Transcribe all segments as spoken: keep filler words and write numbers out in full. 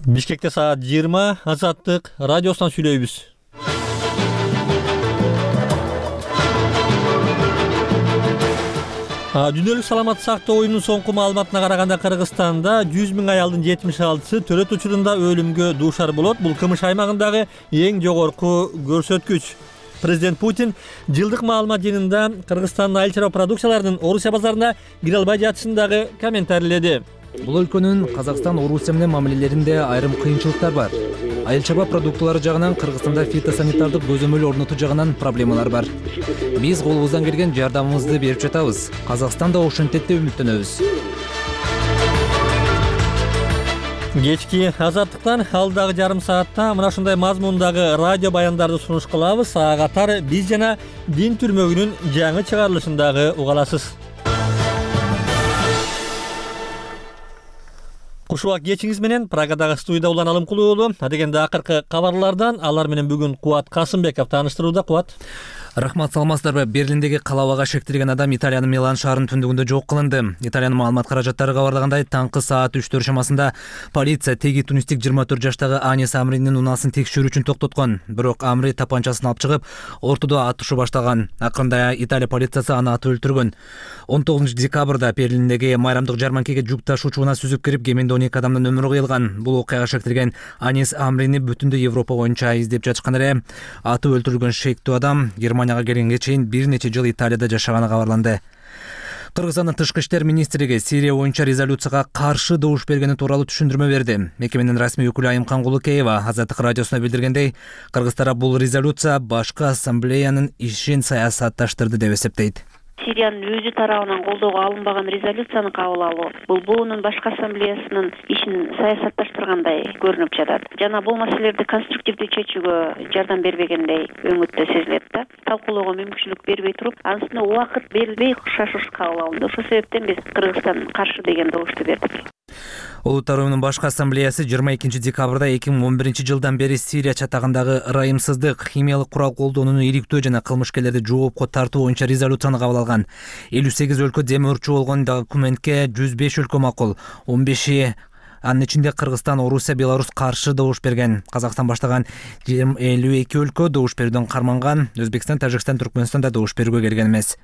Бишкекте саат жыйырма, Азаттык радиосунан сүйлөйбүз. Дүйнөлүк саламаттык сактоо оюнунун соңку маалыматына караганда Кыргызстанда жүз миң аялдын жетимиш алтысы төрөт учурунда өлүмгө дуушар болот. Бул кмш аймагындагы эң жогорку көрсөткүч. Президент Путин жылдык маалымат жыйынында Кыргызстандын айыл чарба продукцияларынын Орусия базарына кире албай жатышын дагы комментарийледи. Бул өлкөнүн Казакстан Орусия менен мамилелеринде айрым кыйынчылыктар бар. Айыл чарба продуктылары жагынан Кыргызстанда фитосанитардык көзөмөл орнотуу жагынан проблемалар бар. Биз колубуздан келген жардамыбызды берип жатабыз. Казакстан да ошентет деп үмүттөнөбүз. Кечки Азаттыктан алдагы жарым саатта мына ушундай мазмундагы радио баяндарды сунуш кылабыз. Ага катар биз жана Дин түрмөгүнүн жаңы чыгарылышын дагы уга аласыз. Кушубак кечиңиз менен Прагадагы студияда Улан Алымкулуу уулу. Адегенде акыркы кабарлардан алар менен бүгүн Кубат Касымбеков тааныштырууда. Кубат. Рахмат, саламатсыздарбы? Берлиндеги калабага шектелген адам Италиянын Милан шаарынын түндүгүндө жок кылынды. Италиянын маалымат каражаттары кабарлагандай, таңкы саат үчтөр чамасында полиция теги тунистик жыйырма төрт жаштагы Анис Амринин унаасын текшерүү үчүн токтоткон. Бирок Амри тапанчасын алып чыгып, ортодо атышуу баштаган. Акырында Италия полициясы аны атып өлтүргөн. он тогузунчу декабрда Берлиндеги майрамдык жарманкеге жүк ташуучу унаа сүзүп кирип, кеминде он эки адамдын өмүрү кыйылган. Бул окуяга шектелген Анис Амрини бүтүндөй Европа боюнча издеп жатышкан эле. Атып өлтүрүлгөн шектүү адам Германияга келгенге чейин бир нече жыл Италияда жашаганы кабарланды. Кыргызстандын тышкы иштер министрлиги Сирия боюнча резолюцияга каршы добуш бергени тууралуу түшүндүрмө берди. Мекеменин расмий өкүлү Айымкан Кулукеева Азаттык радиосуна билдиргендей, кыргыздар бул резолюция башкы ассамблеянын ишин саясатташтырды деп эсептейт. Сириянын өзү тарабынан колдоого алынбаган резолюцияны кабыл алуу бул буунун башкы ассамблеясынын ишин саясатташтыргандай көрүнүп жатат. Жана бул маселелерди конструктивдүү чечүүгө жардам бербегендей өңүттө сезилет да. Талкуулоого мүмкүнчүлүк бербей туруп, анысына убакыт берилбей шашуш кабыл алынды. Ошол себептен биз Кыргызстан каршы деген добушту бердик. Улуттар уюмунун башкы ассамблеясы жыйырма экинчи декабрда эки миң он биринчи жылдан бери Сирия чатагындагы ырайымсыздык, химиялык курал колдонууну иликтөө жана кылмышкерлерди жоопко тартуу боюнча резолюцияны кабыл алган. элүү сегиз өлкө демөөрчү болгон документке жүз беш өлкө макул, он беши анын ичинде Кыргызстан, Орусия, Беларусь каршы добуш берген. Казакстан баштаган элүү эки өлкө добуш берүүдөн карманган. Өзбекстан, Тажикстан, Түркмөнстан да добуш берүүгө келген эмес.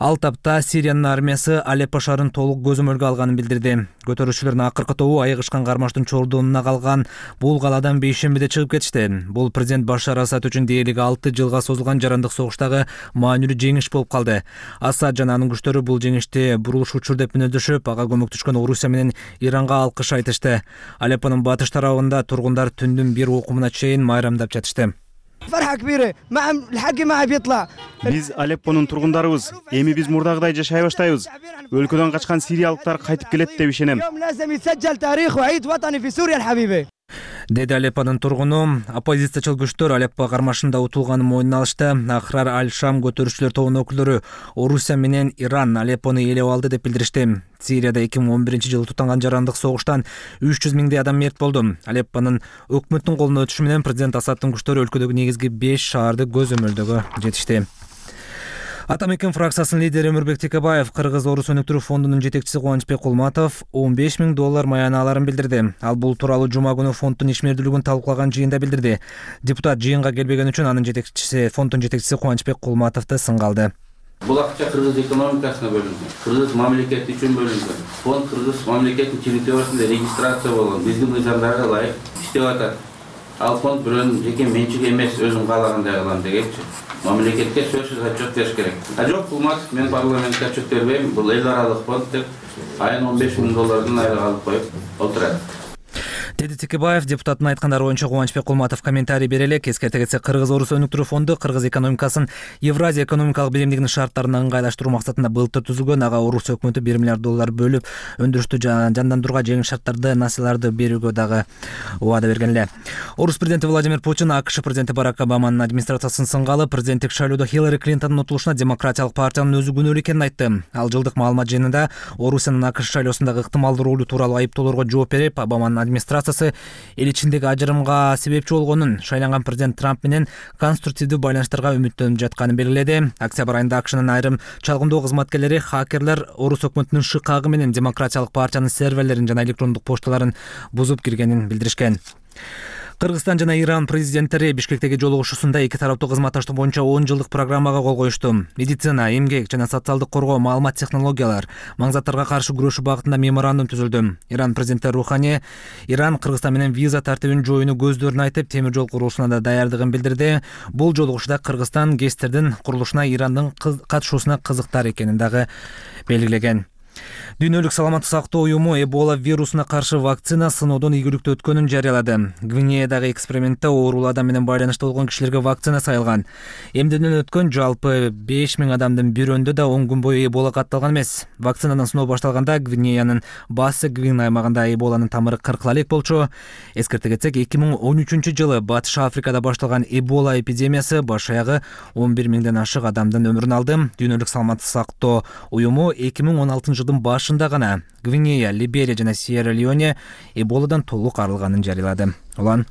Ал тапта Сириянын армиясы Алеппо шаарын толук көзөмөлгө алганын билдирди. Көтөрүүчүлөрдүн акыркы тобу айыгышкан кармаштын чордонуна калган бул калаадан бейшембиде чыгып кетишти. Бул президент Башар Асад үчүн дээрлик алты жылга созулган жарандык согуштагы маанилүү жеңиш болуп калды. Асад жана анын күчтөрү бул жеңишти бурулуш учур деп мүнөздөшүп, ага көмөктөшкөн Орусия менен Иранга алкыш айтышты. Алеппонун батыш тарабында тургундар түндүн бир окумуна чейин майрамдап жатышты. Биз Алеппонун тургундарыбыз. Эми биз мурдагыдай жашай баштайбыз. Өлкөдөн качкан сириялыктар кайтып келет деп ишенем. Деди Алеппонун тургуну. Оппозициячыл күчтөр Алеппо кармашында утулганын мойнуна алышты. Ахрар Аль-Шам көтөрүүчүлөр тобунун өкүлдөрү Орусия менен Иран Алеппону ээлеп алды деп билдиришти. Сирияда эки миң он биринчи жылы тутанган жарандык согуштан үч жүз миңдей адам мерт болду. Алеппонун өкмөттүн колуна өтүшү менен президент Асадтын күчтөрү өлкөдөгү негизги беш шаарды көзөмөлдөгө жетишти. Атамекен фракциясынын лидери Өмүрбек Текебаев Кыргыз-Орус өнүктүрүү фондунун жетекчиси Кубанычбек Кулматов он беш миң доллар маяналарын билдирди. Ал бул тууралуу жума күнү фонддун ишмердүүлүгүн талкуулаган жыйында билдирди. Депутат жыйынга келбеген үчүн анын жетекчиси, фонддун жетекчиси Кубанычбек Кулматовду сынга алды. Бул акча кыргыз экономикасына бөлүнгөн, кыргыз мамлекети үчүн бөлүнгөн. Фонд кыргыз мамлекетинин территориясында регистрация болгон, биздин мыйзамдарга ылайык иштеп атат. Ал фонд бирөөнүн жеке менчиги эмес, өзүм каалагандай кылам дегенчи. Мамлекетке сөзсүз отчет бериш керек. А жок, Кулматов мен парламентке отчет бербейм, бул эл аралык фонд деп айына он беш миң доллардын айлык алып коюп отурат. Деди Текебаев. Депутаттын айткандары боюнча Кубанычбек Кулматов комментарий бере элек. Эскерте кетсек, Кыргыз-Орус өнүктүрүү фонду кыргыз экономикасын Евразия экономикалык биримдигинин шарттарына ыңгайлаштыруу максатында былтыр түзүлгөн. Ага Орус өкмөтү бир миллиард доллар бөлүп, өндүрүштү жандандырууга жеңил шарттарды, насыйларды берүүгө дагы убада берген эле. Орус президенти Владимир Путин АКШ президенти Барак Обаманын администрациясын сынга алып, президенттик шайлоодо Хиллари Клинтондун утулушуна демократиялык партиянын өзү күнөөлүү экенин айтты. Ал жылдык маалымат жыйынында Орусиянын АКШ шайлоосундагы ыктымалдуу ролу тууралуу айыптоолорго жооп берип, Обаманын администрациясы кооз эл ичиндеги ажырымга себепчи болгонун, шайланган президент Трамп менен конструктивдүү байланыштарга үмүттөнүп жатканын белгиледи. Октябрь айында АКШнын айрым чалгындоо кызматкерлери хакерлер орус өкмөтүнүн шыкагы менен Демократиялык партиянын серверлерин жана электрондук пошталарын бузуп киргенин билдиришкен. Кыргызстан жана Иран президенттери Бишкектеги жолугушуусунда эки тараптуу кызматташтык боюнча он жылдык программага кол коюшту. Медицина, эмгек жана социалдык коргоо, маалымат технологиялар, маңзаттарга каршы күрөшүү багытында меморандум түзүлдү. Иран президенти Рухани Иран Кыргызстан менен виза тартибин жойууну көздөрүн айтып, темир жол курулушуна да даярдыгын билдирди. Бул жолугушууда Кыргызстан ГЭСтердин курулушуна Ирандын катышуусуна кызыктар экенин дагы белгилеген. Дүйнөлүк саламаттык сактоо уюму Эбола вирусуна каршы вакцина сыноодон ийгиликтүү өткөнүн жарыялады. Гвинеядагы экспериментте оорулуу адам менен байланышта болгон кишилерге вакцина сайылган. Эмдөөдөн өткөн жалпы беш миң адамдын бирөөндө да он күн бою Эбола катталган эмес. Вакцинанын сыноо башталганда Гвинеянын Бассы Гвин аймагында Эболанын тамыры кыркыла элек болчу. Эскерте кетсек, эки миң он үчүнчү жылы Батыш Африкада башталган Эбола эпидемиясы баш аягы он бир миңден ашык адамдын өмүрүн алды. Дүйнөлүк саламаттык сактоо уюму эки миң он алтынчы жылдын башында гана Гвинея, Либерия жана Сьерра-Леоне Эболадан толук арылганын жарыялады. Улан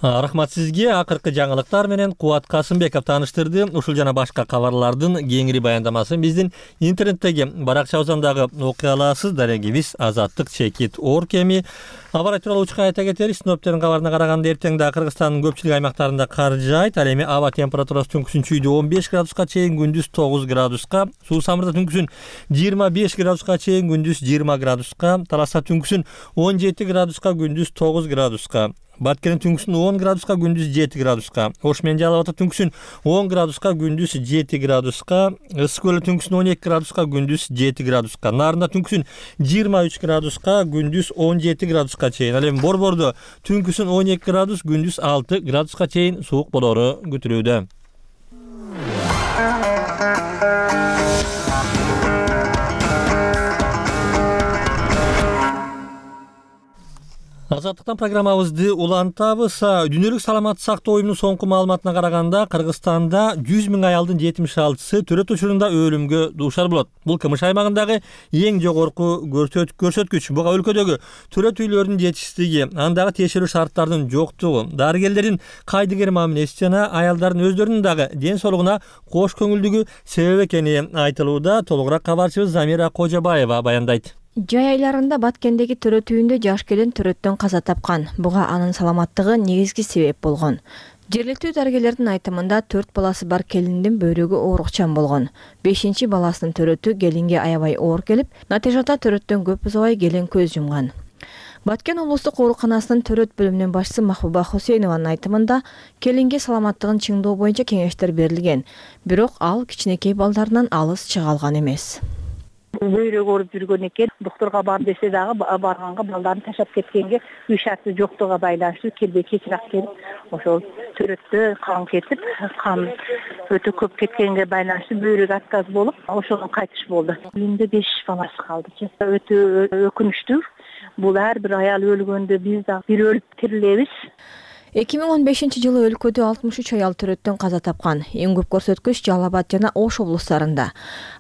Рахмат сизге. Акыркы жаңылыктар менен Кубат Касымбеков тааныштырды. Ушул жана башка кабарлардын кеңири баяндамасын биздин интернеттеги баракчабыздагы окуя аласыз. Дарегибиз азаттык чекит орг эми. Аба тууралуу учка айта кетели. Синоптиктердин кабарына караганда эртең да Кыргызстандын көпчүлүк аймактарында кар жаайт. Ал эми аба температурасы түнкүсүн чүйдө он беш градуска чейин, күндүз тогуз градуска, Суу Самырда түнкүсүн жыйырма беш градуска чейин, күндүз жыйырма градуска, Таласта түнкүсүн он жети градуска, күндүз тогуз градуска, Баткенин түнкүсүн он градуска, күндүз жети градуска, Ош менен Жалал Абадта түнкүсүн он градуска, күндүз жети градуска, Ысык көлдө түнкүсүн он эки градуска, күндүз жети градуска, Нарында түнкүсүн жыйырма үч градуска, күндүз он жети градуска чейин. Ал эми Борбордо түнкүсүн он эки градус, күндүз алты градуска чейин суук болору күтүлүүдө. Азаттыктан программабызды улантабыз. Дүйнөлүк саламаттык сактоо уюмунун соңку маалыматына караганда, Кыргызстанда жүз миң аялдын жетимиш алтысы төрөт учурунда өлүмгө дуушар болот. Бул КМШ аймагындагы эң жогорку көрсөткүч. Буга өлкөдөгү төрөт үйлөрдүн жетишсиздиги, андагы тиешелүү шарттардын жоктугу, дарыгерлердин кайдыгер мамилеси жана аялдардын өздөрүнүн дагы ден соолугуна кош көңүлдүгү себеп экени айтылууда. Толугураак кабарчыбыз Замира Кожобаева баяндайт. Жай айларында Баткендеги төрөт үйүндө жаш келин төрөттөн каза тапкан. Буга анын саламаттыгы негизги себеп болгон. Жергиликтүү дарыгерлердин айтымында төрт баласы бар келиндин бөйрөгү оорукчан болгон. бешинчи баласынын төрөтү келинге аябай оор келип, натыйжада төрөттөн көп узабай келин көз жумган. Баткен облустук ооруканасынын төрөт бөлүмүнүн башчысы Махбуба Хусейнованын айтымында келинге саламаттыгын чыңдоо боюнча кеңештер берилген, бирок ал кичинекей балдарынан алыс чыга алган эмес. Бөйрөк ооруп жүргөн экен, доктурга бар десе дагы барганга балдарын ташап кеткенге үй шарты жоктугуна байланыштуу келбей кечирээк келип, ошол төрөттө кан кетип, кан өтө көп кеткенге байланыштуу бөйрөк отказ болуп, ошондон кайтыш болду. Үйүндө беш баласы калды. Өтө өкүнүчтүү. Бул ар бир аял өлгөндө биз дагы бир өлүп тирилебиз. эки миң он бешинчи жылы өлкөдө алтымыш үч аял төрөттөн каза тапкан. Эң көп көрсөткүч Жалал Абад жана Ош облустарында.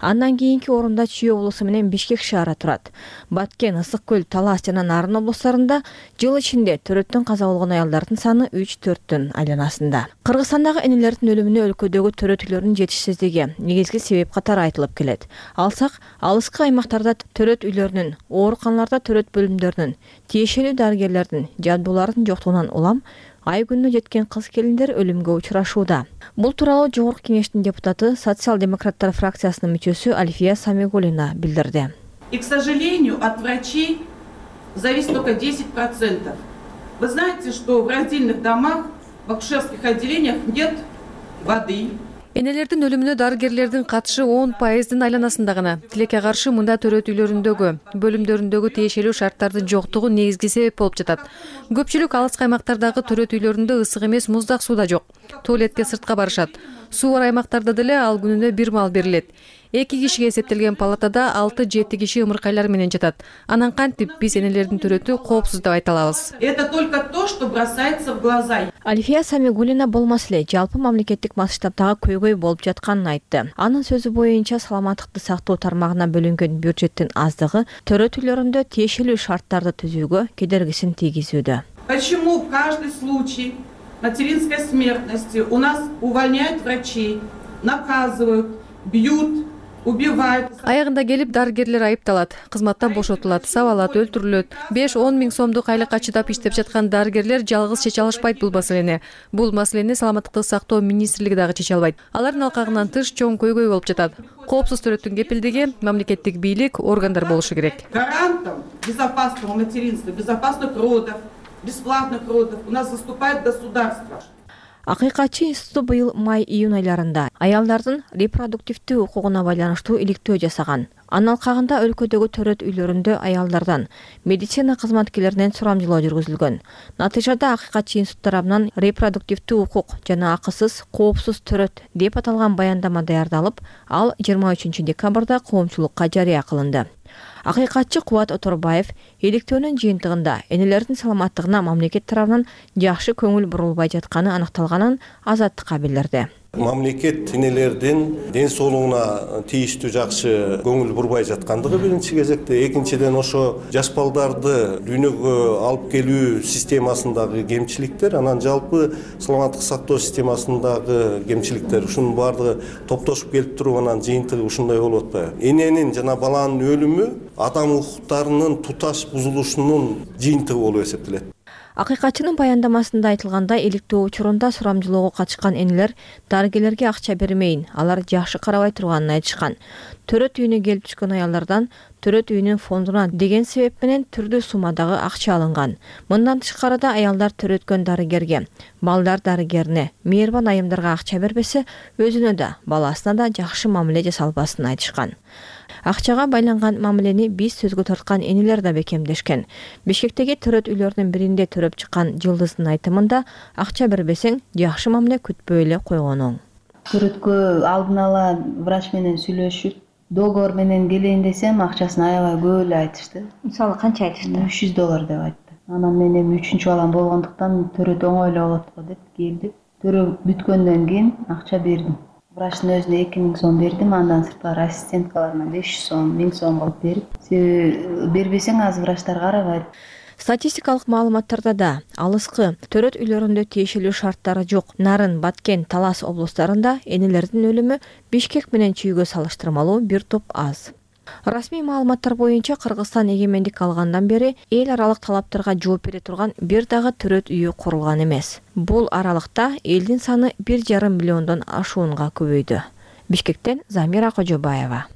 Андан кийинки орунда Чүй облусу менен Бишкек шаары турат. Баткен, Ысык көл, Талас жана Нарын облустарында жыл ичинде төрөттөн каза болгон аялдардын саны үч төрттүн айланасында. Кыргызстандагы энелердин өлүмүнө өлкөдөгү төрөт үйлөрүнүн жетишсиздиги негизги себеп катары айтылып келет. Алсак, алыскы аймактарда төрөт үйлөрүнүн, ооруканаларда төрөт бөлүмдөрүнүн, тиешелүү дарыгерлердин, жабдуулардын жоктугунан улам ай күнүнө жеткен кыз келиндер өлүмгө учурашууда. Бул тууралуу Жогорку Кеңештин депутаты, социал-демократтар фракциясынын мүчөсү Альфия Самигуллина билдирди. И, к сожалению, от врачей зависит только десять процентов. Вы знаете, что в раздельных домах, в акушерских отделениях нет воды. Энелердин өлүмүнө дарыгерлердин катышы он пайыздын айланасында гана. Тилекке каршы мында төрөт үйлөрүндөгү, бөлүмдөрүндөгү тиешелүү шарттардын жоктугу негизги себеп болуп жатат. Көпчүлүк алыс аймактардагы төрөт үйлөрүндө ысык эмес муздак суу да жок. Туалетке сыртка барышат. Суу бар аймактарда деле ал күнүнө бир мал берилет. Эки кишиге эсептелген палатада алты жети киши ымыркайлар менен жатат. Анан кантип биз энелердин төрөтү коопсуз деп айта алабыз? Это только то, что бросается в глаза. Альфия Самигуллина бул маселе жалпы мамлекеттик масштабтагы көйгөй болуп жатканын айтты. Анын сөзү боюнча саламаттыкты сактоо тармагына бөлүнгөн бюджеттин аздыгы төрөт үйлөрүндө тиешелүү шарттарды түзүүгө кедергисин тийгизүүдө. Почему в каждый случай материнской смертности у нас увольняют врачей, наказывают, бьют, убивают? Аягында келип дарыгерлер айыпталат, кызматтан бошотулат, сабалат, өлтүрүлөт. беш-он миң сомдук айлыкка чыдап иштеп жаткан дарыгерлер жалгыз чече алышпайт бул маселени. Бул маселени саламаттыкты сактоо министрлиги дагы чече албайт. Алардын алкагынан тыш чоң көйгөй болуп жатат. Коопсуз төрөттүн кепилдиги мамлекеттик бийлик, органдар болушу керек. Гарантом безопасного материнства, безопасных родов, бесплатных родов у нас заступает государство. Акыйкатчы институту быйыл май-июнь айларында аялдардын репродуктивдүү укугуна байланыштуу иликтөө жасаган. Анын алкагында өлкөдөгү төрөт үйлөрүндө аялдардан, медицина кызматкерлеринен сурамжылоо жүргүзүлгөн. Натыйжада акыйкатчы институт тарабынан репродуктивдүү укук жана акысыз, коопсуз төрөт деп аталган баяндама даярдалып, ал жыйырма үчүнчү декабрда коомчулукка жарыя кылынды. Акыйкатчы Кубат Оторбаев иликтөөнүн жыйынтыгында энелердин саламаттыгына мамлекет тарабынан жакшы көңүл бурулбай жатканы аныкталганын Азаттыкка билдирди. Мамлекет энелердин ден соолугуна тийиштүү жакшы көңүл бурбай жаткандыгы биринчи кезекте, экинчиден ошо жаш балдарды дүйнөгө алып келүү системасындагы кемчиликтер, анан жалпы саламаттык сактоо системасындагы кемчиликтер, ушунун баардыгы топтошуп келип туруп анан жыйынтыгы ушундай болуп атпайбы? Эненин жана баланын өлүмү адам укуктарынын туташ бузулушунун жыйынтыгы болуп эсептелет. Акыйкатчынын баяндамасында айтылгандай, иликтөө учурунда сурамжылоого катышкан энелер дарыгерлерге акча бермейин, алар жакшы карабай турганын айтышкан. Төрөт үйүнө келип түшкөн аялдардан төрөт үйүнүн фондуна деген себеп менен түрдүү суммадагы акча алынган. Мындан тышкары да аялдар төрөткөн дарыгерге, балдар дарыгерине, мээрбан айымдарга акча бербесе, өзүнө да, баласына да жакшы мамиле жасалбасын айтышкан. Акчага байланган мамилени биз сөзгө тарткан энелер да бекемдешкен. Бишкектеги төрөт үйлөрүнүн биринде төрөп чыккан Жылдыздын айтымында акча бербесең жакшы мамиле күтпөй эле койгонуң. Төрөткө алдын ала врач менен сүйлөшүп, договор менен келейин десем, акчасын аябай көп эле айтышты. Мисалы канча айтышты? үч жүз доллар деп айтты. Анан мен эми үчүнчү балам болгондуктан төрөт оңой эле болот го деп келдик. Төрөп бүткөндөн кийин акча бердим. Врачтын өзүнө эки миң сом бердим, андан сырткары ассистенткаларына беш жүз сом, миң сом кылып берип, себеби бербесең азыр врачтар карабайт. Статистикалык маалыматтарда да алыскы төрөт үйлөрүндө тиешелүү шарттары жок Нарын, Баткен, Талас облустарында энелердин өлүмү Бишкек менен Чүйгө салыштырмалуу бир топ аз. Расмий маалыматтар боюнча Кыргызстан эгемендик алгандан бери эл аралык талаптарга жооп бере турган бир дагы төрөт үйү курулган эмес. Бул аралыкта элдин саны бир жарым миллиондон ашуунга көбөйдү. Бишкектен Замира Кожобаева.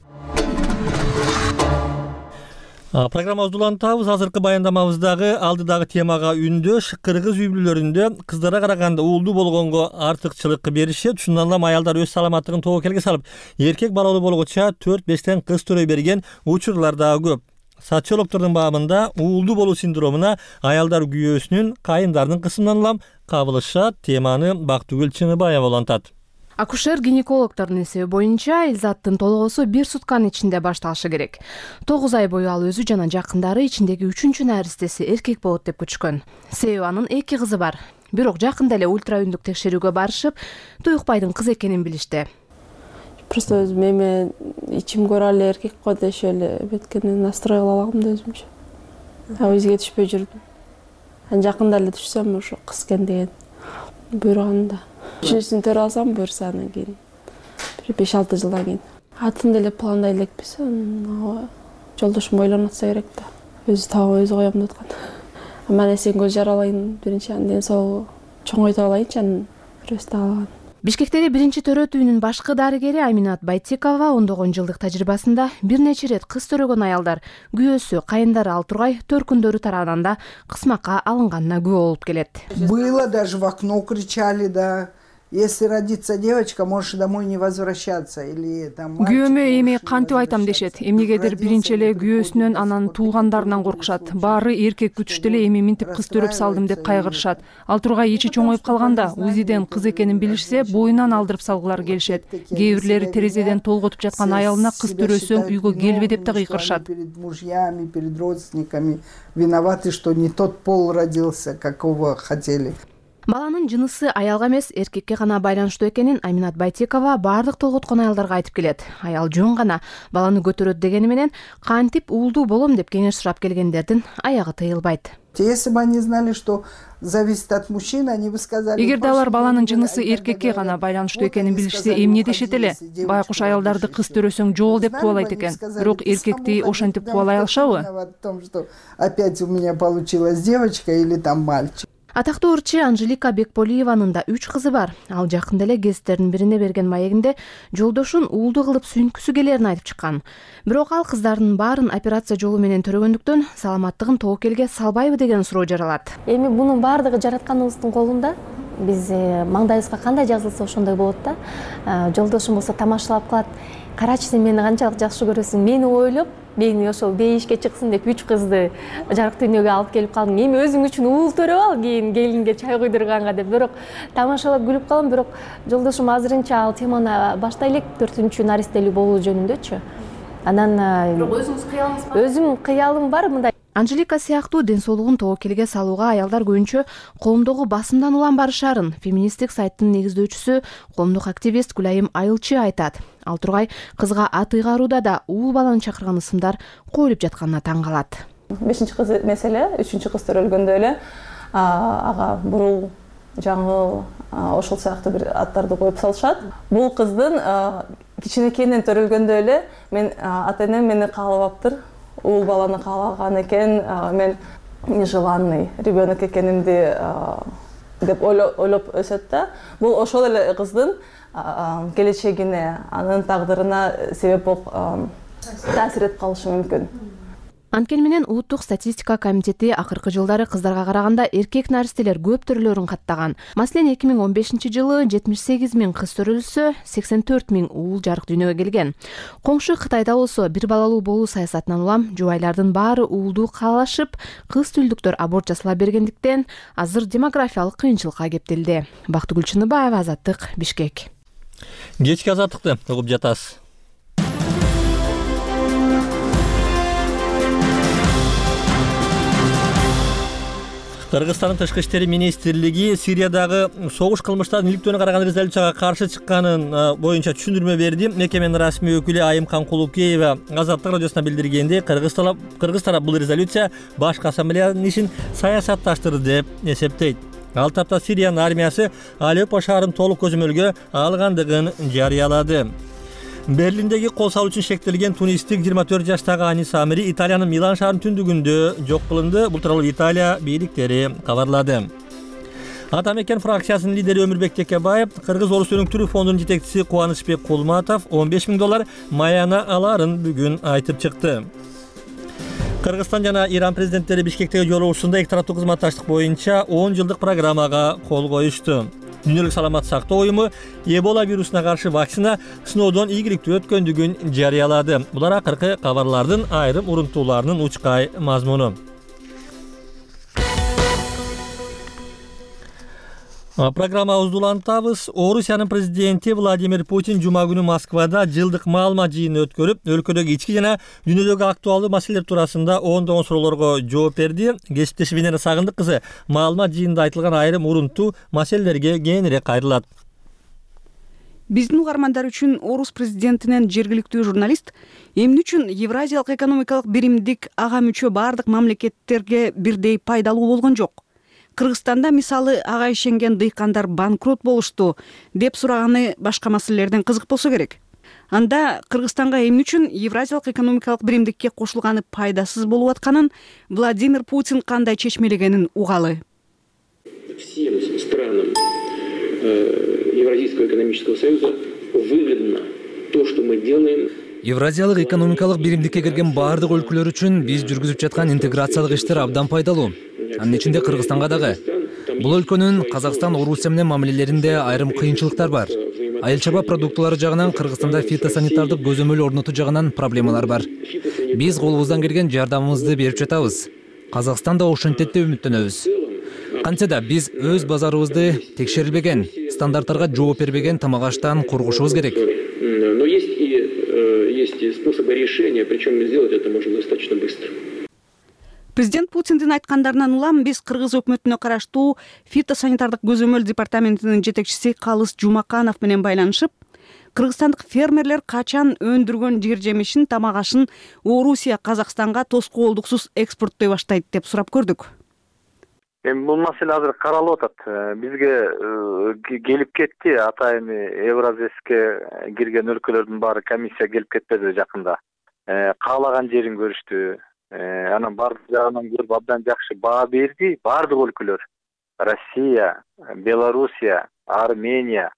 Программабызды улантабыз. Азыркы баяндамабыздагы алдыдагы темага үндөш кыргыз үй бүлөлөрүндө кыздара караганда уулдуу болгонго артыкчылык беришет. Ушундан улам аялдар өз саламаттыгын тобокелге салып, эркек балалуу болгоча төрт-бештен кыз төрөй берген учурлар дагы көп. Социологдордун баамында уулдуу болуу синдромуна аялдар күйөөсүнүн, кайындардын кысымынан улам кабылышат. Теманы Бактыгүл Чыңыбаева улантат. Акушер-гинекологдордун эсеби боюнча Элзаттын толгоосу бир сутканын ичинде башталышы керек. тогуз ай бою ал өзү жана жакындары ичиндеги үчүнчү наристеси эркек болот деп күтүшкөн. Себеби анын эки кызы бар. Бирок жакында эле ультраүндүк текшерүүгө барышып, туюкбайдын кыз экенин билишти. Просто өзүм эме ичим көрө эле эркек го дешип эле беткенен настрой кыла алагам да өзүмчө. А өзгө түшпөй жүрдүм. Анан жакында эле түшсөм ошо кыз экен деген буйруганда. Үчүнчүсүн төрө алсам буюрса анан кийин бир беш алты жылдан кийин. Атын деле пландай элекпиз. Жолдошум ойлонуп атса керек да. Өзү табып өзү коем деп аткан. Мен эсен көз жаралайын, биринчи анан ден соолугу чоңойтуп алайынчы, анан бирөөсү алган. Бишкектеги биринчи төрөт үйүнүн башкы дарыгери Аминат Байтекова ондогон жылдык тажрыйбасында бир нече ирет кыз төрөгөн аялдар күйөөсү, кайындары ал тургай төркүндөрү тарабынан да кысмакка алынганына күбө болуп келет. Было даже в окно кричали, да. Если родится девочка, можешь домой не возвращаться или там. Күйөөмө эми кантип айтам дешет. Эмнегедир биринчи эле күйөөсүнөн, анан туугандарынан коркушат. Баары эркек күтүштү эле эми минтип кыз төрөп салдым деп кайгырышат. Ал тургай ичи чоңоюп калганда, УЗИден кыз экенин билишсе, боюнан алдырып салгылары келишет. Кээ бирлери терезеден толготуп жаткан аялына кыз төрөсөң үйгө келбе деп да кыйкырышат. Перед мужьями, перед родственниками виноваты, что не тот пол родился, какого хотели. Баланын жынысы аялга эмес, эркекке гана байланыштуу экенин Аминат Байтекова баардык толготкон аялдарга айтып келет. Аял жөн гана баланы көтөрөт дегени менен кантип уулдуу болом деп кеңеш сурап келгендердин аягы тыйылбайт. Если бы они знали, что зависит от мужчин, они бы сказали. Эгерде алар баланын жынысы эркекке гана байланыштуу экенин билишсе, эмне дешет эле? Байкуш аялдарды кыз төрөсөң жол деп кубалайт экен. Бирок эркекти ошентип кубалай алышабы? В том, что опять у меня получилась девочка или там мальчик. Атактуу ырчы Анжелика Бекполиеванын да үч кызы бар. Ал жакында эле гезиттердин бирине берген маегинде жолдошун уулду кылып сүйүнкүсү келерин айтып чыккан. Бирок ал кыздарынын баарын операция жолу менен төрөгөндүктөн саламаттыгын тобокелге салбайбы деген суроо жаралат. Эми бунун баардыгы жаратканыбыздын колунда. Биз маңдайыбызга кандай жазылса ошондой болот да. Жолдошум болсо тамашалап калат. Карачы, сен мени канчалык жакшы көрөсүң, мени ойлоп, мени ошол бейишке чыксын деп үч кызды жарык дүйнөгө алып келип калдым. Эми өзүң үчүн уул төрөп ал, кийин келинге чай куйдурганга деп. Бирок тамашалап күлүп калам, бирок жолдошум азырынча ал теманы баштай элек, төртүнчү наристелүү болуу жөнүндөчү. Анан бирок өзүңүз кыялыңыз бар? Өзүм кыялым бар мындай. Анжелика сыяктуу ден соолугун тобокелге салууга аялдар көбүнчө коомдогу басымдан улам барышарын феминисттик сайттын негиздөөчүсү, коомдук активист Гүлайым Айылчы айтат. Ал тургай кызга ат ыйгарууда да уул баланы чакырган ысымдар коюлуп жатканына таң калат. Бешинчи кыз меселе, үчүнчү кыз төрөлгөндө эле ага бурул, жаңыл, ошол сыяктуу бир аттарды коюп салышат. Бул кыздын кичинекейинен төрөлгөндө эле мен ата-энем мени каалабаптыр. Уул баланы каалаган экен, мен нежеланный ребенок экенимди деп ойлоп өсөт да. Бул ошол эле кыздын келечегине, анын тагдырына себеп болуп таасир этип калышы мүмкүн. Анткени менен Улуттук статистика комитети акыркы жылдары кыздарга караганда эркек наристелер көп төрөлөрүн каттаган. Маселен, эки миң он бешинчи жылы жетимиш сегиз миң кыз төрөлсө, сексен төрт миң уул жарык дүйнөгө келген. Коңшу Кытайда болсо бир балалуу болуу саясатынан улам жубайлардын баары уулдуу каалашып, кыз түлдүктөр аборт жасала бергендиктен азыр демографиялык кыйынчылыкка кептелди. Бактыгүл Чыныбаева, Азаттык, Бишкек. Кечки азаттыкты угуп жатасыз. Кыргызстандын тышкы иштери министрлиги Сириядагы согуш кылмыштарын иликтөөнү караган резолюцияга каршы чыкканын боюнча түшүндүрмө берди. Мекеменин расмий өкүлү Айымкан Кулукеева Азаттык радиосуна билдиргенде, Кыргыз тарап бул резолюция башкы ассамблеянын ишин саясатташтырды деп эсептейт. Ал тапта Сириянын армиясы Алеппо шаарын толук көзөмөлгө алгандыгын жарыялады. Берлиндеги кол салуу үчүн шектелген тунистик жыйырма төрт жаштагы Анис Амири Италиянын Милан шаарынын түндүгүндө жок кылынды. Бул тууралуу Италия бийликтери кабарлады. Ата мекен фракциясынын лидери Өмүрбек Текебаев, Кыргыз Орус өнүктүрүү фондунун жетекчиси Кубанычбек Кулматов он беш миң доллар маяна аларын бүгүн айтып чыкты. Кыргызстан жана Иран президенттери Бишкектеги жолугушуусунда эки тараптуу кызматташтык боюнча он жылдык программага кол коюшту. Дүйнөлүк саламат сактоо уюму Эбола вирусуна каршы вакцина сыноодон ийгиликтүү өткөндүгүн жарыялады. Булар акыркы кабарлардын айрым урунтууларынын учкай мазмуну. Программабызды улантабыз. Орусиянын президенти Владимир Путин жума күнү Москвада жылдык маалымат жыйынын өткөрүп, өлкөдөгү ички жана дүйнөдөгү актуалдуу маселелер туурасында ондогон суроолорго жооп берди. Кесиптешим Венера Сагындык кызы маалымат жыйынында айтылган айрым урунтуу маселелерге кеңири кайрылат. Биздин угармандар үчүн орус президентинен жергиликтүү журналист эмне үчүн Евразиялык экономикалык биримдик ага мүчө бардык мамлекеттерге бирдей пайдалуу болгон жок? Кыргызстанда мисалы ага ишенген дыйкандар банкрот болушту деп сураганы башка маселелерден кызык болсо керек. Анда Кыргызстанга эмне үчүн Евразиялык экономикалык биримдикке кошулганы пайдасыз болуп атканын Владимир Путин кандай чечмелегенин угалы. Всем странам Евразийского экономического союза выгодно то, что мы делаем. Евразиялык экономикалык биримдикке кирген баардык өлкөлөр үчүн биз жүргүзүп жаткан интеграциялык иштер абдан пайдалуу. Анын ичинде Кыргызстанга дагы. Бул өлкөнүн Казакстан, Орусия менен мамилелеринде айрым кыйынчылыктар бар. Айыл чарба продуктулары жагынан Кыргызстанда фитосанитардык көзөмөл орнотуу жагынан проблемалар бар. Биз колубуздан келген жардамыбызды берип жатабыз. Казакстан да ошентет деп үмүттөнөбүз. Кантсе да биз өз базарыбызды текшерилбеген, стандарттарга жооп бербеген тамак аштан коргошубуз керек. Но есть и есть способы решения, причем сделать это можно достаточно быстро. Президент Путиндин айткандарынан улам биз Кыргыз өкмөтүнө караштуу фитосанитардык көзөмөл департаментинин жетекчиси Калыс Жумаканов менен байланышып, кыргызстандык фермерлер качан өндүргөн жер жемишин, тамак ашын Орусия Казакстанга тоскоолдуксуз экспорттой баштайт деп сурап көрдүк. Эми бул маселе азыр каралып атат. Бизге келип кетти, атайын Евразеске кирген өлкөлөрдүн баары комиссия келип кетпеди жакында. Каалаган жерин көрүштү. Анан бардык жагынан көрүп абдан жакшы баа берди. Бардык өлкөлөр Россия, Белоруссия, Армения